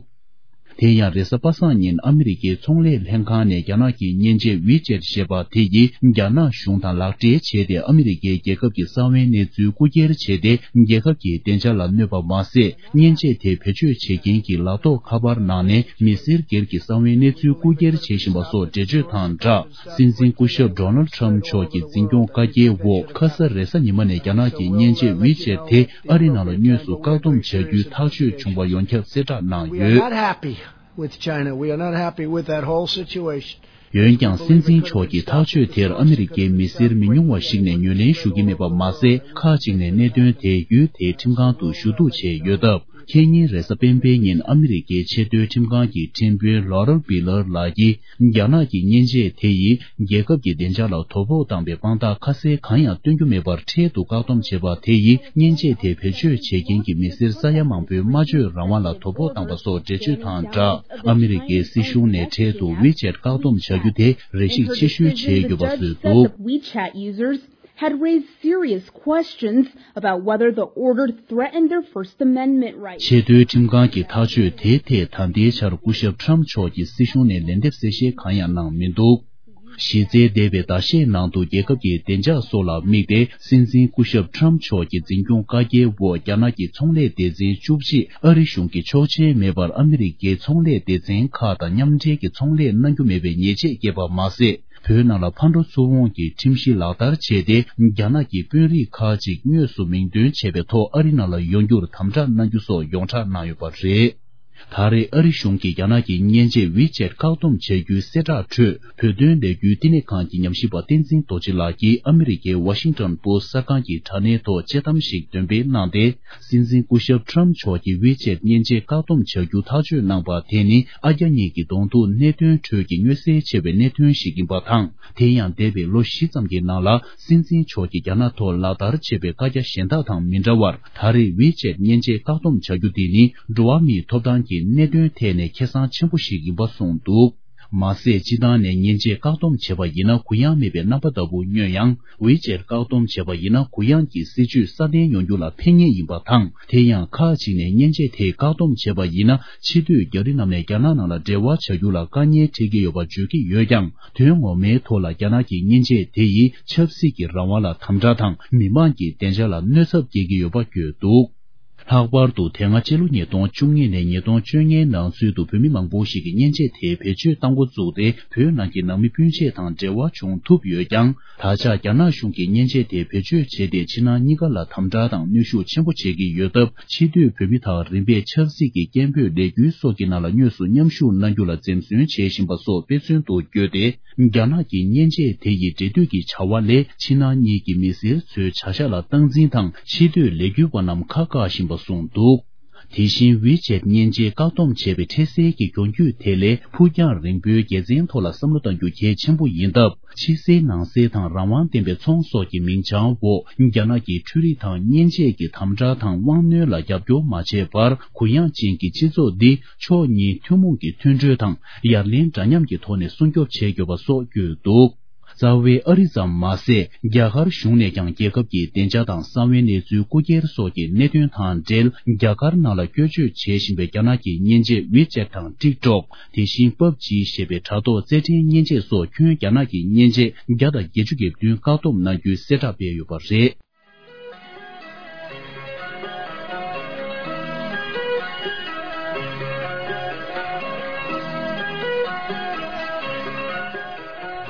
དེ་ཡང་རེས་གཟའ་པ་སངས་ཉིན་ཨ་མི་རི་ཀའི་ཚོང་ལས་ལྷན་ཁང་ནས་རྒྱ་ནག་གི་མཉེན་ཆས་ཝི་ཆེད་ཞེས་པ་དེ་ཡིས་རྒྱ་ནག་གཞུང་དང་ལག་འབྲེལ་བྱས་ཏེ། ཨ་མི་རི་ཀའི་རྒྱལ་ཁབ་ཀྱི་གསང་བའི་གནས་ཚུལ་རྐུ་འཁྱེར་བྱས་ཏེ། རྒྱལ་ཁབ་ཀྱི་བདེ་འཇགས་ལ་གནོད་པ་མ་ཟད། མཉེན་ཆས་དེ་བེད་སྤྱོད་བྱེད་མཁན་གྱི་ལག་ཐོགས་ཁ་པར་ནང་ནས་མི་སེར་སྒེར་གྱི་གསང་བའི་གནས་ཚུལ་རྐུ་འཁྱེར་བྱེད་བཞིན་པ་སོགས་འགྲེལ་བརྗོད་དང་སྦྲགས། སྲིད་འཛིན་སྐུ་ཞབས་ཌོ་ནལ་ཊམ་མཆོག་གི་འཛིན་སྐྱོང་བཀའ་རྒྱའི་འོག་ཁ་ས་རེས་གཟའ་ཉི་མ་ནས་རྒྱ་ནག་གི་མཉེན་ཆས་ཝི་ཆེད་དེ་ཨ་རི་ནང་ལ་དངོས་སུ་བཀག་སྡོམ་བྱ་རྒྱུའི་ཐག་གཅོད་བྱུང་བ་ཡོངས་ཁྱབ་གསལ་བསྒྲགས་གནང་ཡོད། Not happy with China. We are not happy with that whole situation. འོན་ཀྱང་། སྲིད་འཛིན་མཆོག་གི་ཐག་གཅོད་དེར་ཨ་མི་རི་ཀའི་མི་སེར་མི་ཉུང་བ་ཞིག་ནས་ངོས་ལེན་ཞུ་གི་མེད་པ་མ་ཟད། ཁག་ཅིག་ནས་གནད་དོན་དེ་ཡུལ་དེའི་ཁྲིམས་ཁང་དུ་ཞུ་གཏུག་བྱས་ཡོད་སྟབས། ཁེ་ཉིན་རེས་གཟའ་སྤེན་པའི་ཉིན་ཨ་མི་རི་ཀའི་ཆེས་མཐོའི་ཁྲིམས་ཁང་གི་ཁྲིམས་དཔོན་ལོ་རལ་བི་ལར་ལགས་ཀྱིས། རྒྱ་ནག་གི་མཉེན་ཆས་དེ་ཡིས་རྒྱལ་ཁབ་ཀྱི་བདེ་འཇགས་ལ་དོ་ཕོག་བཏང་བའི་དཔང་རྟགས་ཁ་གསལ་གང་ཡང་སྟོན་རྒྱུ་མེད་པར་འཕྲལ་དུ་བཀག་སྡོམ་བྱས་པ་དེ་ཡིས། མཉེན་ཆས་དེ་བེད་སྤྱོད་བྱེད་མཁན་གྱི་མི་སེར་ས་ཡ་མང་པོའི་སྨྲ་བརྗོད་རང་དབང་ལ་དོ་ཕོག་བཏང་པ་སོགས་འགྲེལ་བརྗོད་དང་སྦྲགས། ཨ་མི་རི་ཀའི་སྲིད་གཞུང་ནས་འཕྲལ་དུ་ཝི་ཆེད་བཀག་སྡོམ་བྱ་རྒྱུ་དེ་རེ་ཞིག་ཕྱིར་བཤོལ་བྱེད་དགོས་པ་བཟོས་འདུག WeChat users had raised serious questions about whether the order threatened their First Amendment rights. ཆེས་མཐོའི་ཁྲིམས་ཁང་གི་ཐག་གཅོད་དེའི་ཐད་ད་ལྟའི་ཆར་སྐུ་ཞབས་ཊམ་མཆོག་གིས་སྲིད་གཞུང་ནས་ལན་འདེབས་གསལ་བཤད་གང་ཡང་གནང་མི་འདུག་གཞི་རྩའི་འདས་པའི་ཟླ་ཤས་ནང་དུ་རྒྱལ་ཁབ་ཀྱི་བདེ་འཇགས་སོགས་ལ་དམིགས་ཏེ། སྲིད་འཛིན་སྐུ་ཞབས་ཊམ་མཆོག་གི་འཛིན་སྐྱོང་བཀའ་རྒྱའི་འོག་རྒྱ་ནག་གི་ཚོང་ལས་སྡེ་ཚན་བཅུ་གཅིག་ཨ་རི་གཞུང་གི་ཆོག་མཆན་མེད་པར་ཨ་མི་རི་ཀའི་ཚོང་ལས་སྡེ་ཚན་ཁག་དང་མཉམ་འབྲེལ་གྱི་ཚོང་ལས་གནང་རྒྱུ་མེད་པའི་ཉེས་ཆད་བཀལ་བ་མ་ཟད། བོད་ནང་ལ་ཕར་འགྲོ་ཚུར་འོང་གི་ཁྲིམས་གཞི་ལག་བསྟར་བྱས་ཏེ། རྒྱ་ནག་གི་དཔོན་རིགས་ཁག་ཅིག་དངོས་སུ་མིང་འདོན་བྱས་པའི་ཐོག་ཨ་རི་ནང་ལ་ཡོང་རྒྱུར་དམ་དྲག་གནང་རྒྱུ་སོགས་ཡོངས་གྲགས་གནང་ཡོད་པ་རེད། ད་རེས་ཨ་རི་གཞུང་གིས་རྒྱ་ནག་གི་མཉེན་ཆས་ཝི་ཆེད་བཀག་སྡོམ་བྱ་རྒྱུའི་གསལ་བསྒྲགས་ཁྲོད། བོད་དོན་ལས་འགུལ་བསྟི་གནས་ཁང་གི་ཉམས་ཞིབ་པ་བསྟན་འཛིན་རྡོ་རྗེ་ལགས་ཀྱིས་ཨ་མི་རི་ཀའི་ཝ་ཤིང་ཊོན་པོ་སི་གསར་ཁང་གི་དྲ་གནས་ཐོག་དཔྱད་གཏམ་ཞིག་འདོན་སྤེལ་གནང་སྟེ། སྲིད་འཛིན་སྐུ་ཞབས་ཊམ་མཆོག་གིས་ཝི་ཆེད་མཉེན་ཆས་བཀག་སྡོམ་བྱ་རྒྱུ་ཐག་གཅོད་གནང་པ་དེ་ནི། ཨ་རྒྱ་གཉིས་ཀྱི་གདོང་ཐུག་གནད་དོན་ཁྲོད་ཀྱི་མངོན་གསལ་ཆེ་བའི་གནད་དོན་ཞིག་ཡིན་པ་དང་། དེ་ཡང་། འདས་པའི་ལོ་བཞི་ཙམ་གྱི་ནང་ལ། སྲིད་འཛིན་མཆོག་གིས་རྒྱ་ནག་ཐོག་ལག་བསྟར་བྱས་པའི་བཀའ་རྒྱ་གཞན་དག་དང་མི་འདྲ་བར། ད་རེས་ཝི་ཆེད་མཉེན་ཆས་བཀག་སྡོམ་བྱ་རྒྱུ་དེ་ནི། འགྲོ་བ་མིའི་ཐོབ་ཐང་གི་གནད་དོན་ཐད་ནས་ཁེ་བཟང་ཆེན་པོ་ཞིག་ཡིན་པ་གསུངས་འདུག་མ་ཟད། སྤྱི་བཏང་ནས་མཉེན་ཆས་བཀག་སྡོམ་བྱས་པ་ཡིན་ན། གུ་ཡངས་མེད་པའི་རྣམ་པ་ལྟ་བུ་མངོན་ཡང་། ཝི་ཆེད་བཀག་སྡོམ་བྱས་པ་ཡིན་ན། གུ་ཡངས་ཀྱི་སྲིད་ཇུས་སྲ་བརྟན་ཡོང་རྒྱུ་ལ་ཕན་ངེས་ཡིན་པ་དང་། དེ་ཡང་། ཁག་ཅིག་ནས་མཉེན་ཆས་དེ་བཀག་སྡོམ་བྱས་པ་ཡིན་ན། ཕྱི་སྡོད་རྒྱ་རིགས་རྣམས་ནས་རྒྱ་ནག་ནང་ལ་འབྲེལ་བ་བྱ་རྒྱུ་ལ་དཀའ་ངལ་འཕྲད་ཀྱི་ཡོད་པ་བརྗོད་ཀྱི་ཡོད་ཀྱང་། དོན་ངོ་མའི་ཐོག་ལ་རྒྱ་ནག་གི་མཉེན་ཆས་དེ་ཡིས་ཆབ་སྲིད་ཀྱི་རང་དབང་ལ་དམ་དྲག་དང་། མི་མང་གི་བདེ་འཇགས་ལ་གནོད་ཚབས་སྐྱེལ་གྱི་ཡོད་པ་བརྗོད་འདུག་ལྷག་པར་དུ་དེ་སྔ་ཕྱི་ལོ་ཉིས་སྟོང་བཅུ་གཉིས་ནས་ཉིས་སྟོང་བཅོ་ལྔའི་ནང་ཚུད་དུ་བོད་མི་མང་པོ་ཞིག་གིས་མཉེན་ཆས་དེ་བེད་སྤྱོད་གཏང་འགོ་བཙུགས་ཏེ། བོད་ནང་གི་ནང་མི་སྤུན་མཆེད་དང་འབྲེལ་བ་བྱུང་ཐུབ་ཡོད་ཀྱང་། ད་ཆ་རྒྱ་ནག་གཞུང་གིས་མཉེན་ཆས་དེ་བེད་སྤྱོད་བྱས་ཏེ། ཕྱི་ནང་གཉིས་ཀ་ལ་དམ་དྲག་དང་གནོན་ཤུགས་ཆེན་པོ་བྱེད་ཀྱི་ཡོད་སྟབས། ཕྱི་སྡོད་བོད་མི་དག་རིམ་པས་ཆབ་སྲིད་ཀྱི་སྐད་འབོད་ལས་འགུལ་སོགས་ཀྱི་ནང་ལ་དངོས་སུ་མཉམ་ཞུགས་གནང་རྒྱུ་ལ་འཛེམ་ཟོན་བྱེད་བཞིན་པ་སོགས་དཔེ་མཚོན་དུ་བཀོད་དེ། རྒྱ་ནག་གི་མཉེན་ཆས་དེ་ཡི་འབྲེལ་མཐུད་ཀྱི་བྱ་བ་ལས། ཕྱི་ནང་གཉིས་ཀྱི་མི་སེར་ཚོའི་བྱ་གཞག་ལ་སྟངས་འཛིན་དང་། ཕྱི་སྡོད་ལས་འགུལ་བ་རྣམས་ཁ་བཀག་བཞིན་པ་གསུངས་འདུག། དེ་བཞིན་ཝི་ཆེད་མཉེན་ཆས་བཀག་སྡོམ་བྱས་པའི་འཕྲལ་སེལ་གྱི་གྱོང་གུད་དེ་ལས་ཕུགས་རྒྱང་རིང་པོའི་དགེ་མཚན་ཐོག་ལ་བསམ་བློ་གཏང་རྒྱུ་གལ་ཆེན་པོ་ཡིན་སྟབས། ཕྱི་གསལ་ནང་གསལ་དང་རང་དབང་ལྡན་པའི་ཚོང་སོགས་ཀྱི་མིང་བྱང་འོག་རྒྱ་ནག་གི་འཕྲུལ་རིག་དང་མཉེན་ཆས་ཀྱི་དམ་དྲག་དང་དབང་གནོད་ལ་རྒྱབ་སྐྱོར་མ་བྱས་པར། གུ་ཡངས་ཅན་གྱི་སྤྱི་ཚོགས་འདི་ཕྱོགས་གཉིས་ཐུན་མོང་གི་མཐུན་སྒྲིལ་དང་ཡར་ལེན་འདྲ་མཉམ་གྱི་ཐོག་ནས་སྲུང་སྐྱོབ་བྱེད་དགོས་པ་སོགས་བཀོད་འདུག། རྩ་བའི་ཨ་རི་ཙམ་མ་ཟད། རྒྱ་གར་གཞུང་ནས་ཀྱང་རྒྱལ་ཁབ་ཀྱི་བདེ་འཇགས་དང་གསང་བའི་གནས་ཚུལ་རྐུ་འཁྱེར་སོགས་ཀྱི་གནད་དོན་དང་འབྲེལ། རྒྱ་གར་ནང་ལ་བཀོལ་སྤྱོད་བྱེད་བཞིན་པའི་རྒྱ་ནག་གི་མཉེན་ཆས་ཝི་ཆེད་དང་ཊིག་ཊོག། དེ་བཞིན་པབ་ཇི་ཞེས་པའི་དྲ་ཐོག་རྩེད་འགྲན་མཉེན་ཆས་སོགས་ཁྱོན་རྒྱ་ནག་གི་མཉེན་ཆས་བརྒྱ་དང་བརྒྱད་ཅུ་གྱ་བདུན་བཀག་སྡོམ་གནང་རྒྱུའི་གསལ་བསྒྲགས་སྤེལ་ཡོད་པ་རེད།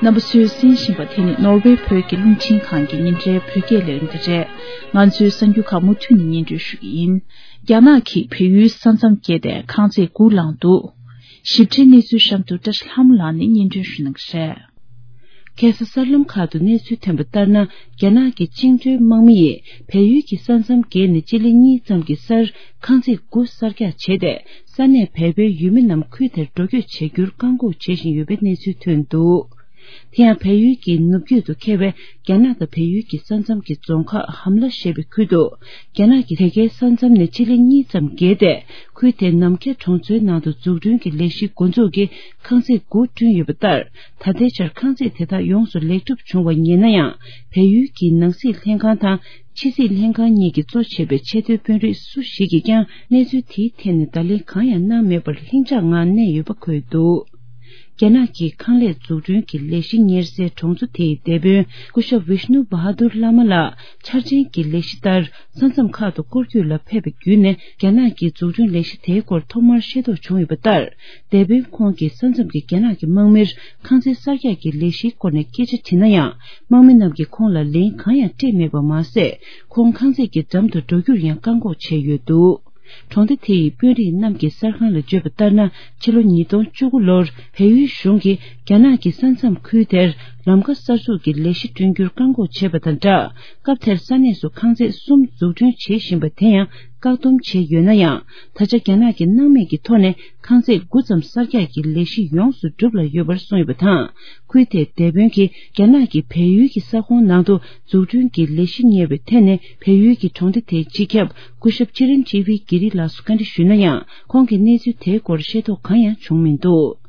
རྣམ་པ་ཚོས་གསན་བཞིན་པ་དེ་ནི་ནོར་ཝེ་བོད་ཀྱི་རླུང་འཕྲིན་ཁང་གི་ཉིན་རེའི་བོད་སྐད་ལས་རིམ་དེ་རེད། ང་ཚོའི་གསར་འགྱུར་ཁག་མུ་མཐུད་ནས་སྙན་སྒྲོན་ཞུ་གི་ཡིན། རྒྱ་ནག་གིས་བལ་ཡུལ་ས་མཚམས་བརྒལ་ཏེ་ཁང་བརྩེགས་དགུ་བསླངས་འདུག། ཞིབ་ཕྲའི་གནས་ཚུལ་གཤམ་དུ་བཀྲ་ཤིས་ལྷ་མོ་ལགས་ནས་སྙན་སྒྲོན་ཞུ་གནང་གི་རེད། ཁ་སང་གསར་ལམ་ཁག་ཏུ་གནས་ཚུལ་ཐོན་པ་ལྟར་ན། རྒྱ་ནག་གི་བཅིངས་འགྲོལ་དམག་མི་ཡིས་བལ་ཡུལ་གྱི་ས་མཚམས་བརྒལ་ནས་སྤྱི་ལེ་གཉིས་ཙམ་གྱི་སར་ཁང་བརྩེགས་དགུ་གསར་རྒྱག་བྱས་ཏེ། ས་གནས་བལ་པོའི་ཡུལ་མི་རྣམས་ཁུལ་དེར་འགྲོ་སྐྱོད་བྱེད་རྒྱུར་བཀག་འགོག་བྱེད་བཞིན་ཡོད་པའི་གནས་ཚུལ་ཐོན་འདུག། དེ་ཡང་བལ་ཡུལ་གྱི་ནུབ་རྒྱུད་དུ་འཁེལ་བའི་རྒྱ་ནག་དང་བལ་ཡུལ་གྱི་ས་མཚམས་ཀྱི་རྫོང་ཁག་ཧམ་ལ་ཞེས་པའི་ཁུལ་དུ། རྒྱ་ནག་གིས་དེ་གའི་ས་མཚམས་ནས་སྤྱི་ལེ་གཉིས་ཙམ་བརྒལ་ཏེ། ཁུལ་དེའི་ནམ་མཁའི་གྲོང་ཚོའི་ནང་དུ་འཛུགས་སྐྲུན་གྱི་ལས་གཞི་འགོ་འཛུགས་ཀྱིས་ཁང་བརྩེགས་དགུ་བསྐྲུན་ཡོད་པ་ལྟར། ད་ལྟའི་ཆར་ཁང་བརྩེགས་དེ་དག་ཡོངས་སུ་ལེགས་གྲུབ་བྱུང་བ་ཡིན་ན་ཡང་། བལ་ཡུལ་གྱི་ནང་སྲིད་ལྷན་ཁང་དང་ཕྱི་སྲིད་ལྷན་ཁང་གཉིས་ཀྱིས་གཙོ་བྱས་པའི་ཆེས་མཐོའི་དཔོན་རིགས་སུ་ཞིག་གིས་ཀྱང་གནས་ཚུལ་དེའི་ཐད་ནས་བརྡ་ལན་གང་ཡང་གནང་མེད་པར་ལྷིང་འཇགས་ངང་གནས་ཡོད་པ་འཁོད་འདུག། རྒྱ་ནག་གི་ཁང་ལས་འཛུགས་སྐྲུན་གྱི་ལས་གཞི་གཉེར་སའི་གྲོང་ཚོ་དེའི་སྡེ་དཔོན་སྐུ་ཞབས་བིཤ་ནུ་བྷ་ཧ་དུར་བླ་མ་ལགས་འཆར་ཅན་གྱི་ལས་གཞི་ལྟར། ས་མཚམས་ཁག་ཏུ་སྐོར་སྐྱོད་ལ་ཕེབས་པའི་བརྒྱུད་ནས་རྒྱ་ནག་གི་འཛུགས་སྐྲུན་ལས་གཞི་དེའི་སྐོར་ཐོག་མར་ཤེས་རྟོགས་བྱུང་ཡོད་པ་ལྟར། སྡེ་དཔོན་ཁོང་གིས་ས་མཚམས་ཀྱི་རྒྱ་ནག་གི་དམག་མིར་ཁང་བརྩེགས་གསར་རྒྱག་གི་ལས་གཞིའི་སྐོར་ནས་སྐད་ཆ་དྲིས་ན་ཡང་། དམག་མི་རྣམས་ཀྱིས་ཁོང་ལ་ལན་གང་ཡང་སྤྲད་མེད་པ་མ་ཟད། ཁོང་ཁང་བརྩེགས་ཀྱི་འགྲམ་དུ་འགྲོ་རྒྱུར་ཡང་བཀག་འགོག་བྱས་ཡོད་འདུག། གྲོང་སྡེ་དེ་ཡི་དཔོན་རིགས་རྣམས་ཀྱི་གསར་ཁང་ལ་བརྗོད་པ་ལྟར་ན། ཕྱི་ལོ་ཉིས་སྟོང་བཅུ་དགུ་ལོར་བལ་ཡུལ་གཞུང་གིས་རྒྱ་ནག་གི་ས་མཚམས་ཁུལ་དེར་ལམ་ཁ་གསར་འཛུགས་ཀྱི་ལས་གཞི་བསྐྲུན་རྒྱུར་བཀག་འགོག་བྱས་པ་དང་སྦྲགས། སྐབས་དེར་ས་གནས་སུ་ཁང་བརྩེགས་གསུམ་འཛུགས་སྐྲུན་བྱེད་བཞིན་པ་དེ་ཡང་བཀག་སྡོམ་བྱས་ཡོད་ན་ཡང་། ད་ཆ་རྒྱ་ནག་གིས་སྣང་མེད་ཀྱི་ཐོག་ནས་ཁང་བརྩེགས་དགུ་ཙམ་གསར་རྒྱག་གི་ལས་གཞི་ཡོངས་སུ་འགྲུབ་ལ་ཡོད་པར་གསུངས་ཡོད་པ་དང་། ཁུལ་དེའི་སྡེ་དཔོན་གྱིས་རྒྱ་ནག་གིས་བལ་ཡུལ་གྱི་ས་ཁོངས་ནང་དུ་འཛུགས་སྐྲུན་གྱི་ལས་གཞི་གཉེར་བའི་ཐད་ནས་བལ་ཡུལ་གྱི་གྲོང་སྡེ་དེའི་སྤྱི་ཁྱབ་སྐུ་ཞབས་ཅི་རན་ཇི་བི་གྷི་རི་ལགས་སུ་བཀའ་འདྲི་ཞུས་ན་ཡང་། ཁོང་གིས་གནས་ཚུལ་དེའི་སྐོར་ཤེས་རྟོགས་གང་ཡང་བྱུང་མི་འདུག།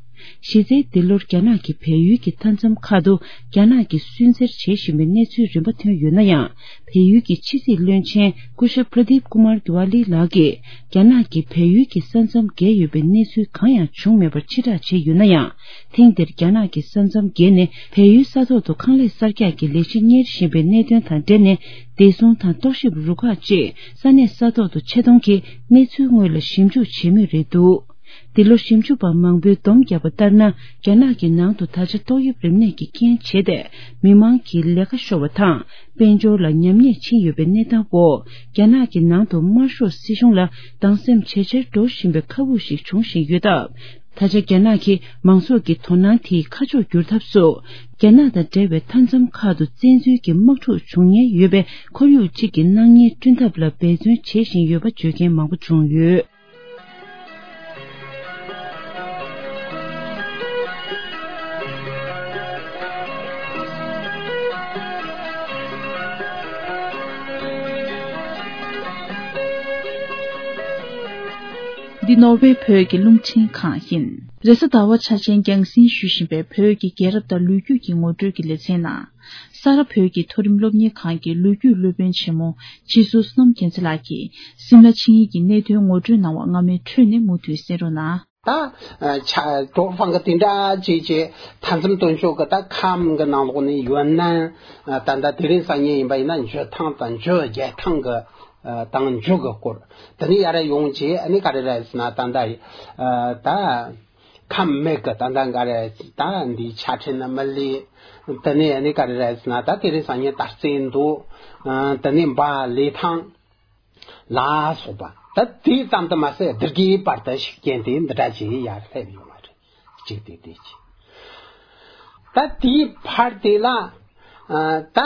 གཞི་རྩའི་འདི་ལོར་རྒྱ་ནག་གིས་བལ་ཡུལ་གྱི་མཐའ་མཚམས་ཁག་ཏུ་རྒྱ་ནག་གིས་སུན་གཙེར་བྱེད་བཞིན་པའི་གནས་ཚུལ་རིམ་པ་ཐོན་ཡོད་ན་ཡང་། བལ་ཡུལ་གྱི་ཕྱི་སྲིད་བློན་ཆེན་སྐུ་ཞབས་པྲ་དིབ་ཀུ་མར་དི་ཝ་ལི་ལགས་ཀྱིས། རྒྱ་ནག་གིས་བལ་ཡུལ་གྱི་ས་མཚམས་བརྒལ་ཡོད་པའི་གནས་ཚུལ་གང་ཡང་བྱུང་མེད་པར་ཕྱིར་བསྒྲགས་བྱས་ཡོད་ན་ཡང་། ཐེངས་འདིར་རྒྱ་ནག་གི་ས་མཚམས་བརྒལ་ནས་བལ་ཡུལ་ས་ཐོག་ཏུ་ཁང་ལས་གསར་རྒྱག་གི་ལས་གཞི་གཉེར་བཞིན་པའི་གནད་དོན་དང་འབྲེལ་ནས། བདེ་སྲུང་དང་རྟོག་ཞིབ་རུ་ཁག་ཅིག་ས་གནས་ས་ཐོག་ཏུ་ཆེད་གཏོང་གིས་གནས་ཚུལ་དངོས་ལ་ཞིབ་འཇུག་བྱེད་མུས་རེད་འདུག། འདི་ལོ་ཞིབ་འཇུག་པ་མང་པོས་སྡོམ་བརྒྱབ་པ་ལྟར་ན། རྒྱ་ནག་གི་ནང་དུ་ད་ཆ་ཏོག་དབྱིབས་རིམས་ནད་ཀྱི་རྐྱེན་བྱས་ཏེ། མི་མང་གི་ལས་ཀ་ཤོར་བ་དང་། དཔལ་འབྱོར་ལ་ཉམས་ཉེས་ཕྱིན་ཡོད་པའི་གནས་སྟངས་འོག། རྒྱ་ནག་གི་ནང་དུ་དམར་ཤོག་སྲིད་གཞུང་ལ་སྡང་སེམས་ཇེ་ཆེར་འགྲོ་བཞིན་པའི་ཁ་སྦུག་ཞིག་འབྱུང་བཞིན་ཡོད་སྟབས། ད་ཆ་རྒྱ་ནག་གིས་མང་ཚོགས་ཀྱི་དོ་སྣང་དེའི་ཁ་ཕྱོགས་བསྒྱུར་ཐབས་སུ། རྒྱ་ནག་དང་འབྲེལ་བའི་མཐའ་མཚམས་ཁག་ཏུ་བཙན་འཛུལ་གྱི་དམག་འཁྲུག་འབྱུང་ཉེན་ཡོད་པའི་ཁོར་ཡུག་ཅིག་གི་སྣང་བརྙན་བསྐྲུན་ཐབས་ལ་འབད་བརྩོན་བྱེད་བཞིན་ཡོད་པ་བརྗོད་མཁན་མང་པོ་བྱུང་ཡོད། འདི་ནོར་ཝེ་བོད་ཀྱི་རླུང་འཕྲིན་ཁང་ཡིན། རེས་གཟའ་ཟླ་བ་འཆར་ཅན་རྒྱང་སྲིང་ཞུ་བཞིན་པའི་བོད་ཀྱི་རྒྱལ་རབས་དང་ལོ་རྒྱུས་ཀྱི་ངོ་སྤྲོད་ཀྱི་ལེ་ཚན་ནང་། ས་རཱ་བོད་ཀྱི་མཐོ་རིམ་སློབ་གཉེར་ཁང་གི་ལོ་རྒྱུས་སློབ་དཔོན་ཆེན་མོ་སྤྱི་ཟུར་བསོད་ནམས་རྒྱལ་མཚན་ལགས་ཀྱིས་སིམ་ལ་ཆིངས་ཡིག་གི་གནད་དོན་ངོ་སྤྲོད་གནང་བ་སྔ་མའི་འཕྲོས་ནས་མུ་མཐུད་གསན་རོགས་གནང་། ད་ཆ་ཀྲོའུ་ཧྥང་གི་དེ་འདྲ་ཅིག་ཅིག་མཐའ་མཚམས་སྟོན་ཕྱོགས་ཀྱི་ད་ཁམས་ཀྱི་ནང་ལོགས་ནས་ཡོད་ན། ད་ལྟ་དེ་རིང་སང་ཉིན་ཡིན་པ་ཡིན་ན་འཇོ་ཐང་དང་འཇོ་རྒྱལ་ཐང་གི་དང་མཇུག་གི་སྐོར། དེ་ནས་ཡར་ཡོང་རྗེས་ཨ་ནི་ག་རེ་རེད་ཟེར་ན་ད་ལྟ་ད་ཁམས་མེད་གི་ད་ལྟ་ག་རེ་ད་འདི་ཆ་འཕྲིན་ནི་མི་ལུས། དེ་ནས་ཨ་ནི་ག་རེ་རེད་ཟེར་ན་ད་དེ་རིང་སང་ཉིན་ད་རྩེ་མདོ། དེ་ནས་འབའ་ལི་ཐང་ལ་སོགས་པ། ད་དེ་ཙམ་དུ་མ་ཟད་བདུད་རྒྱལ་བར་དུ་ཤུགས་རྐྱེན་དེ་འདི་འདྲ་ཅིག་ཡར་སླེབས་ཡོང་བ་རེད། གཅིག་དེ་དེ་གཅིག་ད་དེའི་བར་དེ་ལ་ད་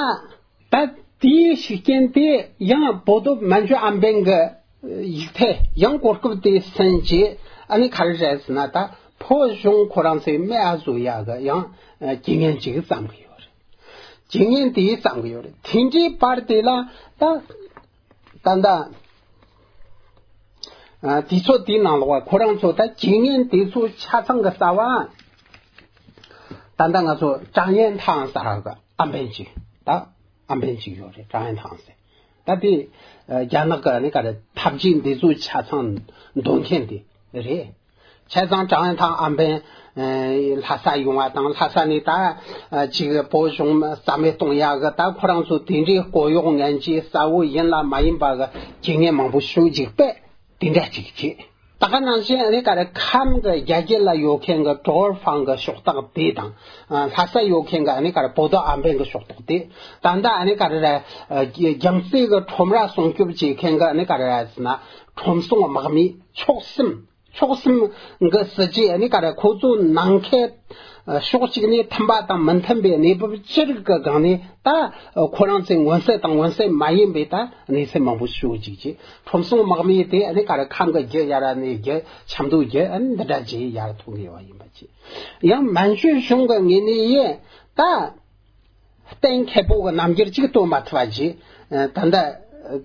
ད་དེའི་ཤུགས་རྐྱེན་དེ་ཡང་བོད་སྟོད་མན་ཇུ་ཨམ་བན་གྱི་ཡིག་ཐད་ཡང་གོ་སྐབས་དེ་ཟིན་རྗེས་ཨ་ནི་ག་རེ་རེད་ཟེར་ན་ད་ཕོ་གཞུང་ཁོ་རང་ཚོའི་མི་ཨ་བཟོ་ཡག་གི་ཡང་རྐྱེན་ངན་ཅིག་བརྩམས་གི་ཡོད་རེད། རྐྱེན་ངན་དེ་བརྩམས་གི་ཡོད་རེད། དེ་འདྲའི་བར་དེ་ལ་ད་ད་ད་ཨ་དུས་ཚོད་དེའི་ནང་ལོགས་ཁོ་རང་ཚོ་ད་རྐྱེན་ངན་དེ་ཚོ་ཆ་ཚང་གི་རྩ་བ་ད་ལྟ་ང་ཚོ་ཀྲང་ཡན་ཐང་ཟེར་གི་ཨམ་བན་ཅིག་ད་ཨམ་བན་ཅིག་ཡོད་རེད། ཀྲང་ཡན་ཐང་ཟེར། ད་དེ་ཨ་རྒྱ་ནག་གི་ནི་ག་རེ་འཐབ་ཇུས་འདི་ཚོ་ཆ་ཚང་འདོན་མཁན་དེ་རེད། བྱས་ཙང་ཀྲང་ཡན་ཐང་ཨམ་བན་ཨ་ལྷ་ས་ཡོང་བ་དང་ལྷ་ས་ནས་ད་ཨ་ཅིག་བོད་གཞུང་རྩ་མེད་གཏོང་ཡག་གི་ད་ཁོ་རང་ཚོ་དེ་འདྲའི་སྐོར་གཡོག་ངན་གྱིས་གསལ་བོ་ཡིན་ལ་མ་ཡིན་པ་གི་རྐྱེན་ངན་མང་པོ་ཞིག་ཅིག་པས་དེ་འདྲ་ཅིག་བྱས། ད་ག་ནང་བཞིན་ཨ་ནི་ག་རེ་ཁམས་གི་རྒྱ་རྒྱུད་ལ་ཡོད་མཁན་གི་ཀྲོར་ཧྥང་གི་ཕྱོགས་སྟག་དེ་དང་ལྷ་ས་ཡོད་མཁན་གི་ཨ་ནི་ག་རེ་བོད་ཨམ་བན་གི་ཕྱོགས་སྟག་དེ་ད་ལྟ་ཨ་ནི་ག་རེ་རེད། རྒྱ་མཚོའི་གི་ཁྲོམ་ར་སྲུང་སྐྱོབ་བྱེད་མཁན་གི་ཨ་ནི་ག་རེ་རེད་ཟེར་ན་ཁྲོམ་སྲུང་དམག་མི་ཕྱོགས་གསུམ། ཕྱོགས་གསུམ་གི་སྲིད་ཇུས་ཨ་ནི་ག་རེ་ཁོ་ཚོ་ནང་ཁུལ་ཕྱོགས་གཅིག་ནས་མཐུན་པ་དང་མི་མཐུན་པའི་གནས་བབ་ཅི་རིགས་ཀྱི་སྒང་ནས་ད་ཁོ་རང་ཚོའི་མངོན་གསལ་དང་མངོན་གསལ་མ་ཡིན་པའི་ད་གནས་ཚུལ་མང་པོ་ཞུ་ཅིག་ཅིག་ཁྲོམ་སྲུང་དམག་མི་དེ་ཨ་ནི་ག་རེ་ཁམས་ཀྱི་རྒྱུ་ཡ་ར་ནས་རྒྱུ་ཆབ་མདོ་རྒྱུ་ཨ་ནི་འདི་འདྲ་ཅིག་ཡར་ཐོན་གི་ཡོད་པ་ཡིན་པ་ཅིག་ཡང་མན་ཇུ་གཞུང་གི་ངོས་ནས་ཡིན་ད། གཏན་འཁེལ་པོ་གི་རྣམ་འགྱུར་གཅིག་སྟོན་མ་ཐུབ་པ་ཞིག་ད་ལྟ་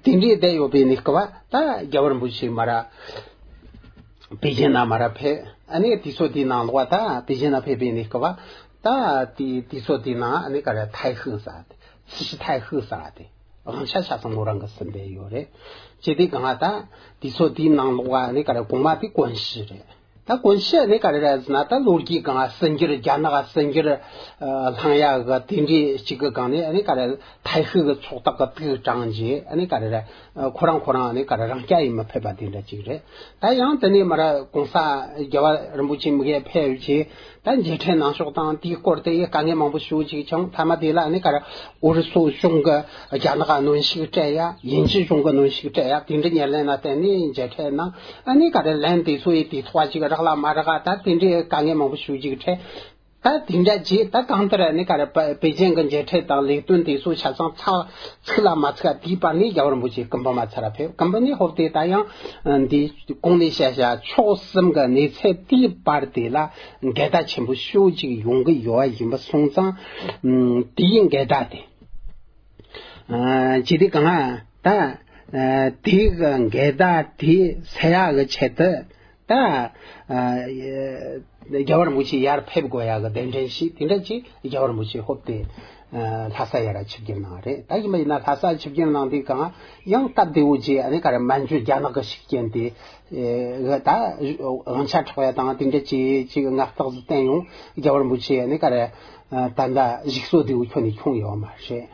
དེ་འདྲའི་བསྡད་ཡོད་པའི་གནས་སྐབས་ད་རྒྱལ་བ་རིན་པོ་ཆེ་མར་པེ་ཅིན་ན་མར་ཕེབས། ཨ་ནི་དུས་ཚོད་དེའི་ནང་ལོགས་ད་པེ་ཅིན་ན་ཕེབས་པའི་གནས་སྐབས་ད་དེ་དུས་ཚོད་དེའི་ནང་ཨ་ནི་ག་རེ་ཐའེ་ཧི་ཟེར་ཏེ་སི་ཤི་ཐའེ་ཧི་ཟེར་ཏེ་དབང་ཆ་ཆ་ཚང་མོ་རང་གི་ཟིན་པའི་ཡོད་རེད། ཅེས་དེ་གང་ལ་ད་དུས་ཚོད་དེའི་ནང་ལོགས་ཨ་ནི་ག་རེ་གོང་མ་དེ་ཀོན་ཤི་རེད། ད་ཀོན་ཤི་ནི་ག་རེ་རེད་ཟེར་ན་ད་ལོ་རྒྱུས་སྒང་ཟིན་གྱིར་རྒྱ་ནག་ཟིན་གྱིར་ལྷང་ཡག་གི་དེ་འདྲའི་གཅིག་གི་སྒང་ནས་ནི་ག་རེ་ཐའེ་ཧི་གི་ཚོགས་སྟག་གི་དུག་དྲངས་རྗེས་ནི་ག་རེ་རེད། ཁོ་རང་ཁོ་རང་ནི་ག་རེ་རང་སྐྱ་ཡིན་མི་ཕེབས་པ་དེ་འདྲ་གཅིག་རེད། ད་ཡང་དེ་ནས་མར་གོང་ས་རྒྱལ་བ་རིན་པོ་ཆེ་མི་གེ་ཕེབས་རྗེས་ད་མཇལ་འཕྲད་གནང་ཕྱོགས་དང་དེའི་སྐོར་དེ་དཀའ་ངལ་མང་པོ་ཞུ་ཅིག་བྱུང་། མཐའ་མ་དེ་ལ་ནི་ག་རེ་ཨུ་རུ་སུ་གཞུང་གི་རྒྱ་ནག་གནོན་ཤུགས་སྤྲད་ཡ། དབྱིན་ཇི་གཞུང་གི་གནོན་ཤུགས་སྤྲད་ཡ། དེ་འདྲ་ཉེར་ལེན་ལ་བརྟེན་ནས་མཇལ་འཕྲད་གནང་། ཨ་ནི་ག་རེ་ལན་དེ་ཚོ་ཡི་དེ་ཐོག་ཅིག་རག་ལ་མ་རག་ད་དེ་འདྲའི་དཀའ་ངལ་མང་པོ་ཞུ་ཅིག་འཕྲད། ད་དེ་འདྲ་རྗེས་ད་གང་ལྟར་ཨ་ནི་ག་རེ་པེ་ཅིན་གི་མཇལ་འཕྲད་དང་ལས་དོན་དེ་ཚོ་ཆ་ཚང་ཚགས་ཚིག་ལ་མ་ཚིག་དེའི་བར་ནས་རྒྱལ་བ་རིན་པོ་ཆེ་སྐུ་འབུམ་མ་ཚར་ཕེབས། སྐུ་འབུམ་ནས་ཧོབ་སྟེ་ད་ཡང་འདི་གོང་ནས་བཤད་བྱ་ཕྱོགས་གསུམ་གི་གནས་ཚད་དེའི་བར་དེ་ལ་འགལ་ཟླ་ཆེན་པོ་ཤོས་ཅིག་ཡོང་གི་ཡོད་པ་ཡིན་པ་སོང་ཙང་དེའི་འགལ་ཟླ་དེ། ཨ་ཅི་སྟེ་གང་ལ་ད་ཨ་དེའི་གི་འགལ་ཟླ་དེ་སེལ་ཡག་གི་ཆེད་དུ་ད་ཨ་རྒྱལ་བ་རིན་པོ་ཆེ་ཡར་ཕེབས་དགོས་ཡག་གི་གདན་འདྲེན་ཞིག་དེ་འདྲ་ཅིག་རྒྱལ་བ་རིན་པོ་ཆེ་ཧོབ་སྟེ་ཨ་ལྷ་ས་ཡར་ཆིབས་བསྒྱུར་གནང་རེད། ད་ཡིན་པ་ཡིན་ན་ལྷ་ས་ཆིབས་བསྒྱུར་གནང་དུས་གང་ཡང་སྟབས་བདེ་བོ་ཅིག་ཨ་ནི་ག་རེ་མན་ཇུ་རྒྱ་ནག་གི་ཤུགས་རྐྱེན་དེ་ཨ་ད་དབང་ཆ་འཕྲོག་ཡ་དང་དེ་འདྲ་ཅིག་ཅིག་ངག་རྟགས་སུ་བསྟན་ཡོང་། རྒྱལ་བ་རིན་པོ་ཆེ་ཨ་ནི་ག་རེ་ཨ་ད་ད་གཞུག་སོ་བདེ་བོ་ཁྱོན་ནས་འཁྱོངས་ཡོད་མ་རེད།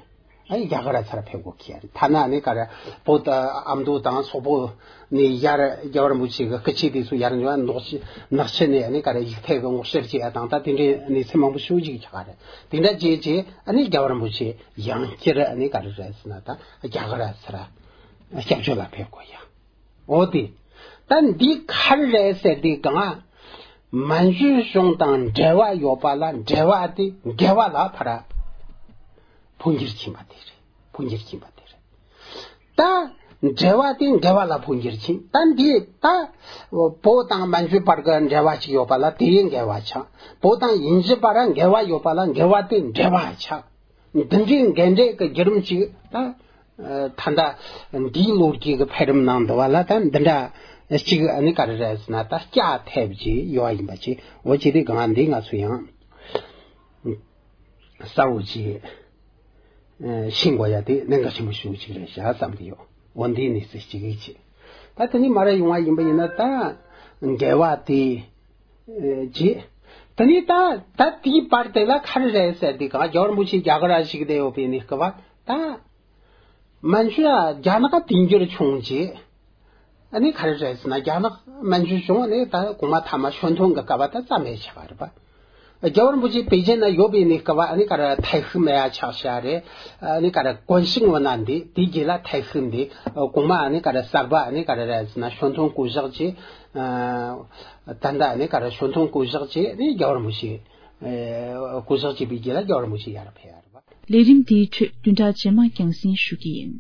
ཨ་ནི་རྒྱ་གར་ཚར་ཕེབས་དགོས་ཁེལ་རེད། ཐ་ན་ནི་ག་རེ་བོད་ཨ་མདོ་དང་སོག་པོ་ནས་ཡར་རྒྱལ་བ་རིན་པོ་ཆེ་གི་སྐུ་ཆས་དེ་ཚོ་ཡར་འཇོག་ནག་ཆུ་ནག་ཆུ་ནས་ཨ་ནི་ག་རེ་ཡིག་ཐད་གི་སྔོག་བཤེར་བྱེད་ཡ་དང་ད་དེ་འདྲའི་གནས་ཚུལ་མང་པོ་ཞེ་པོ་ཅིག་ཆགས་རེད། དེ་འདྲ་བྱས་རྗེས་ཨ་ནི་རྒྱལ་བ་རིན་པོ་ཆེ་ཡང་བསྐྱར་ཨ་ནི་ག་རེ་རེད་ཟེར་ན་ད་རྒྱ་གར་ཚར་སྐྱབས་བཅོལ་ལ་ཕེབས་དགོས་ཡ། འོ་དེ། ད་འདི་ག་རེ་རེད་ཟེར་དུས་གང་། མན་ཇུ་གཞུང་དང་འབྲེལ་བ་ཡོད་པ་ལ་འབྲེལ་བ་དེ་འགལ་བ་ལ་ཕར་འཕོ་འགྱུར་ཕྱིན་པ་དེ་རེད། འཕོ་འགྱུར་ཕྱིན་པ་དེ་རེད། ད་འབྲེལ་བ་དེ་འགལ་བ་ལ་འཕོ་འགྱུར་ཕྱིན། ད་འདི་ད་བོད་དང་མན་ཇུ་བར་གྱི་འབྲེལ་བ་ཅིག་ཡོད་པ་ལ་དེ་འགལ་བ་ཆགས། བོད་དང་དབྱིན་ཇི་བར་འགལ་བ་ཡོད་པ་ལ་འགལ་བ་དེ་འབྲེལ་བ་ཆགས། འདི་འདྲའི་འགལ་འབྲེལ་གྱི་བརྒྱུད་རིམ་ཅིག་ད་ད་ལྟ་འདིའི་ལོ་རྒྱུས་ཀྱི་འཕེལ་རིམ་ནང་འདུ་བ་ལ་ད་འདི་འདྲ་ཅིག་ཨ་ནི་ག་རེ་རེད་ཟེར་ན་ད་སྐྱ་ཐེབས་ཀྱི་ཡོད་ཡིན་པ་ཅིག་འོ་ཅི་དེ་གང་འདི་ང་ཚོ་ཡང་གསལ་བོ་ཅིག་ཤེས་དགོས་ཡ་དེ་གནད་འགག་ཆེན་པོ་ཞེ་པོ་ཅིག་རེད་བཞག་བསམ་གྱི་ཡོད། འོ་འདིའི་གནས་ཚུལ་ཅིག་ཡིན་ཅིག་ད་དེ་ནི་མ་ར་ཡོང་བ་ཡིན་པ་ཡིན་ན་ད་འགལ་བ་དེ་ཅིག་ད་ནི་ད་ད་དེའི་བར་དེ་ལ་ག་རེ་རེད་ཟེར་དེ་གང་རྒྱལ་བ་རིན་པོ་ཆེ་རྒྱ་གར་ཞིག་བསྡད་ཡོད་པའི་གནས་སྐབས་ད། མན་ཇུ་ཡ་རྒྱ་ནག་དེང་འགྱུར་བྱུང་རྗེས། ཨ་ནི་ག་རེ་རེད་ཟེར་ན། རྒྱ་ནག་མན་ཇུ་བྱུང་ནས་ད་གོང་མ་ཐ་མ་ཞོན་ཐོན་གྱི་སྐབས་ད་རྩ་མེད་ཆགས་པ་རེད་པ། རྒྱལ་བ་རིན་པོ་ཆེ་པེ་ཅིན་ན་ཡོད་པའི་གནས་སྐབས་ཨ་ནི་ག་རེ་ཐའེ་ཧུའེ་མེ་ཡ་ཆགས་བྱ་རེད། ཨ་ནི་ག་རེ་ཀོན་ཤིང་བོ་ན་འདི་དེའི་རྗེས་ལ་ཐའེ་ཧུའེ་འདི། གོང་མ་ཨ་ནི་ག་རེ་གསར་པ་ཨ་ནི་ག་རེ་རེད་ཟེར་ན་ཞོན་ཐོན་སྐུ་གཞོགས་ཀྱི། ད་ལྟ་ཨ་ནི་ག་རེ་ཞོན་ཐོན་སྐུ་གཞོགས་ཀྱི་ཨ་ནི་རྒྱལ་བ་རིན་པོ་ཆེ། སྐུ་གཞོགས་བྱས་པའི་རྗེས་ལ་རྒྱལ་བ་རིན་པོ་ཆེ་ཡར་ཕེབས་ཡ་རེད་པ། ལས་རིམ་འདིའི་ཁྲོད་བདུན་ཕྲག་རྗེས་མ་རྒྱང་སྲིང་ཞུ་གི་ཡིན།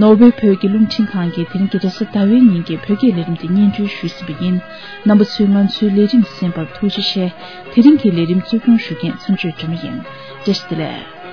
ནོར་ཝེ་བོད་ཀྱི་རླུང་འཕྲིན་ཁང་གིས་དེ་རིང་གི་རེས་གཟའ་ཟླ་བའི་ཉིན་གྱི་བོད་སྐད་ལས་རིམ་དེ་སྙན་སྒྲོན་ཞུས་ཟིན་པ་ཡིན། རྣམ་པ་ཚོས་ང་ཚོའི་ལས་རིམ་གསན་པར་ཐུགས་རྗེ་ཆེ། དེ་རིང་གི་ལས་རིམ་གཙོ་སྐྱོང་ཞུ་མཁན་མཚམས་གཅོད་སྒྲོལ་མ་ཡིན། བཀྲ་ཤིས་བདེ་ལེགས།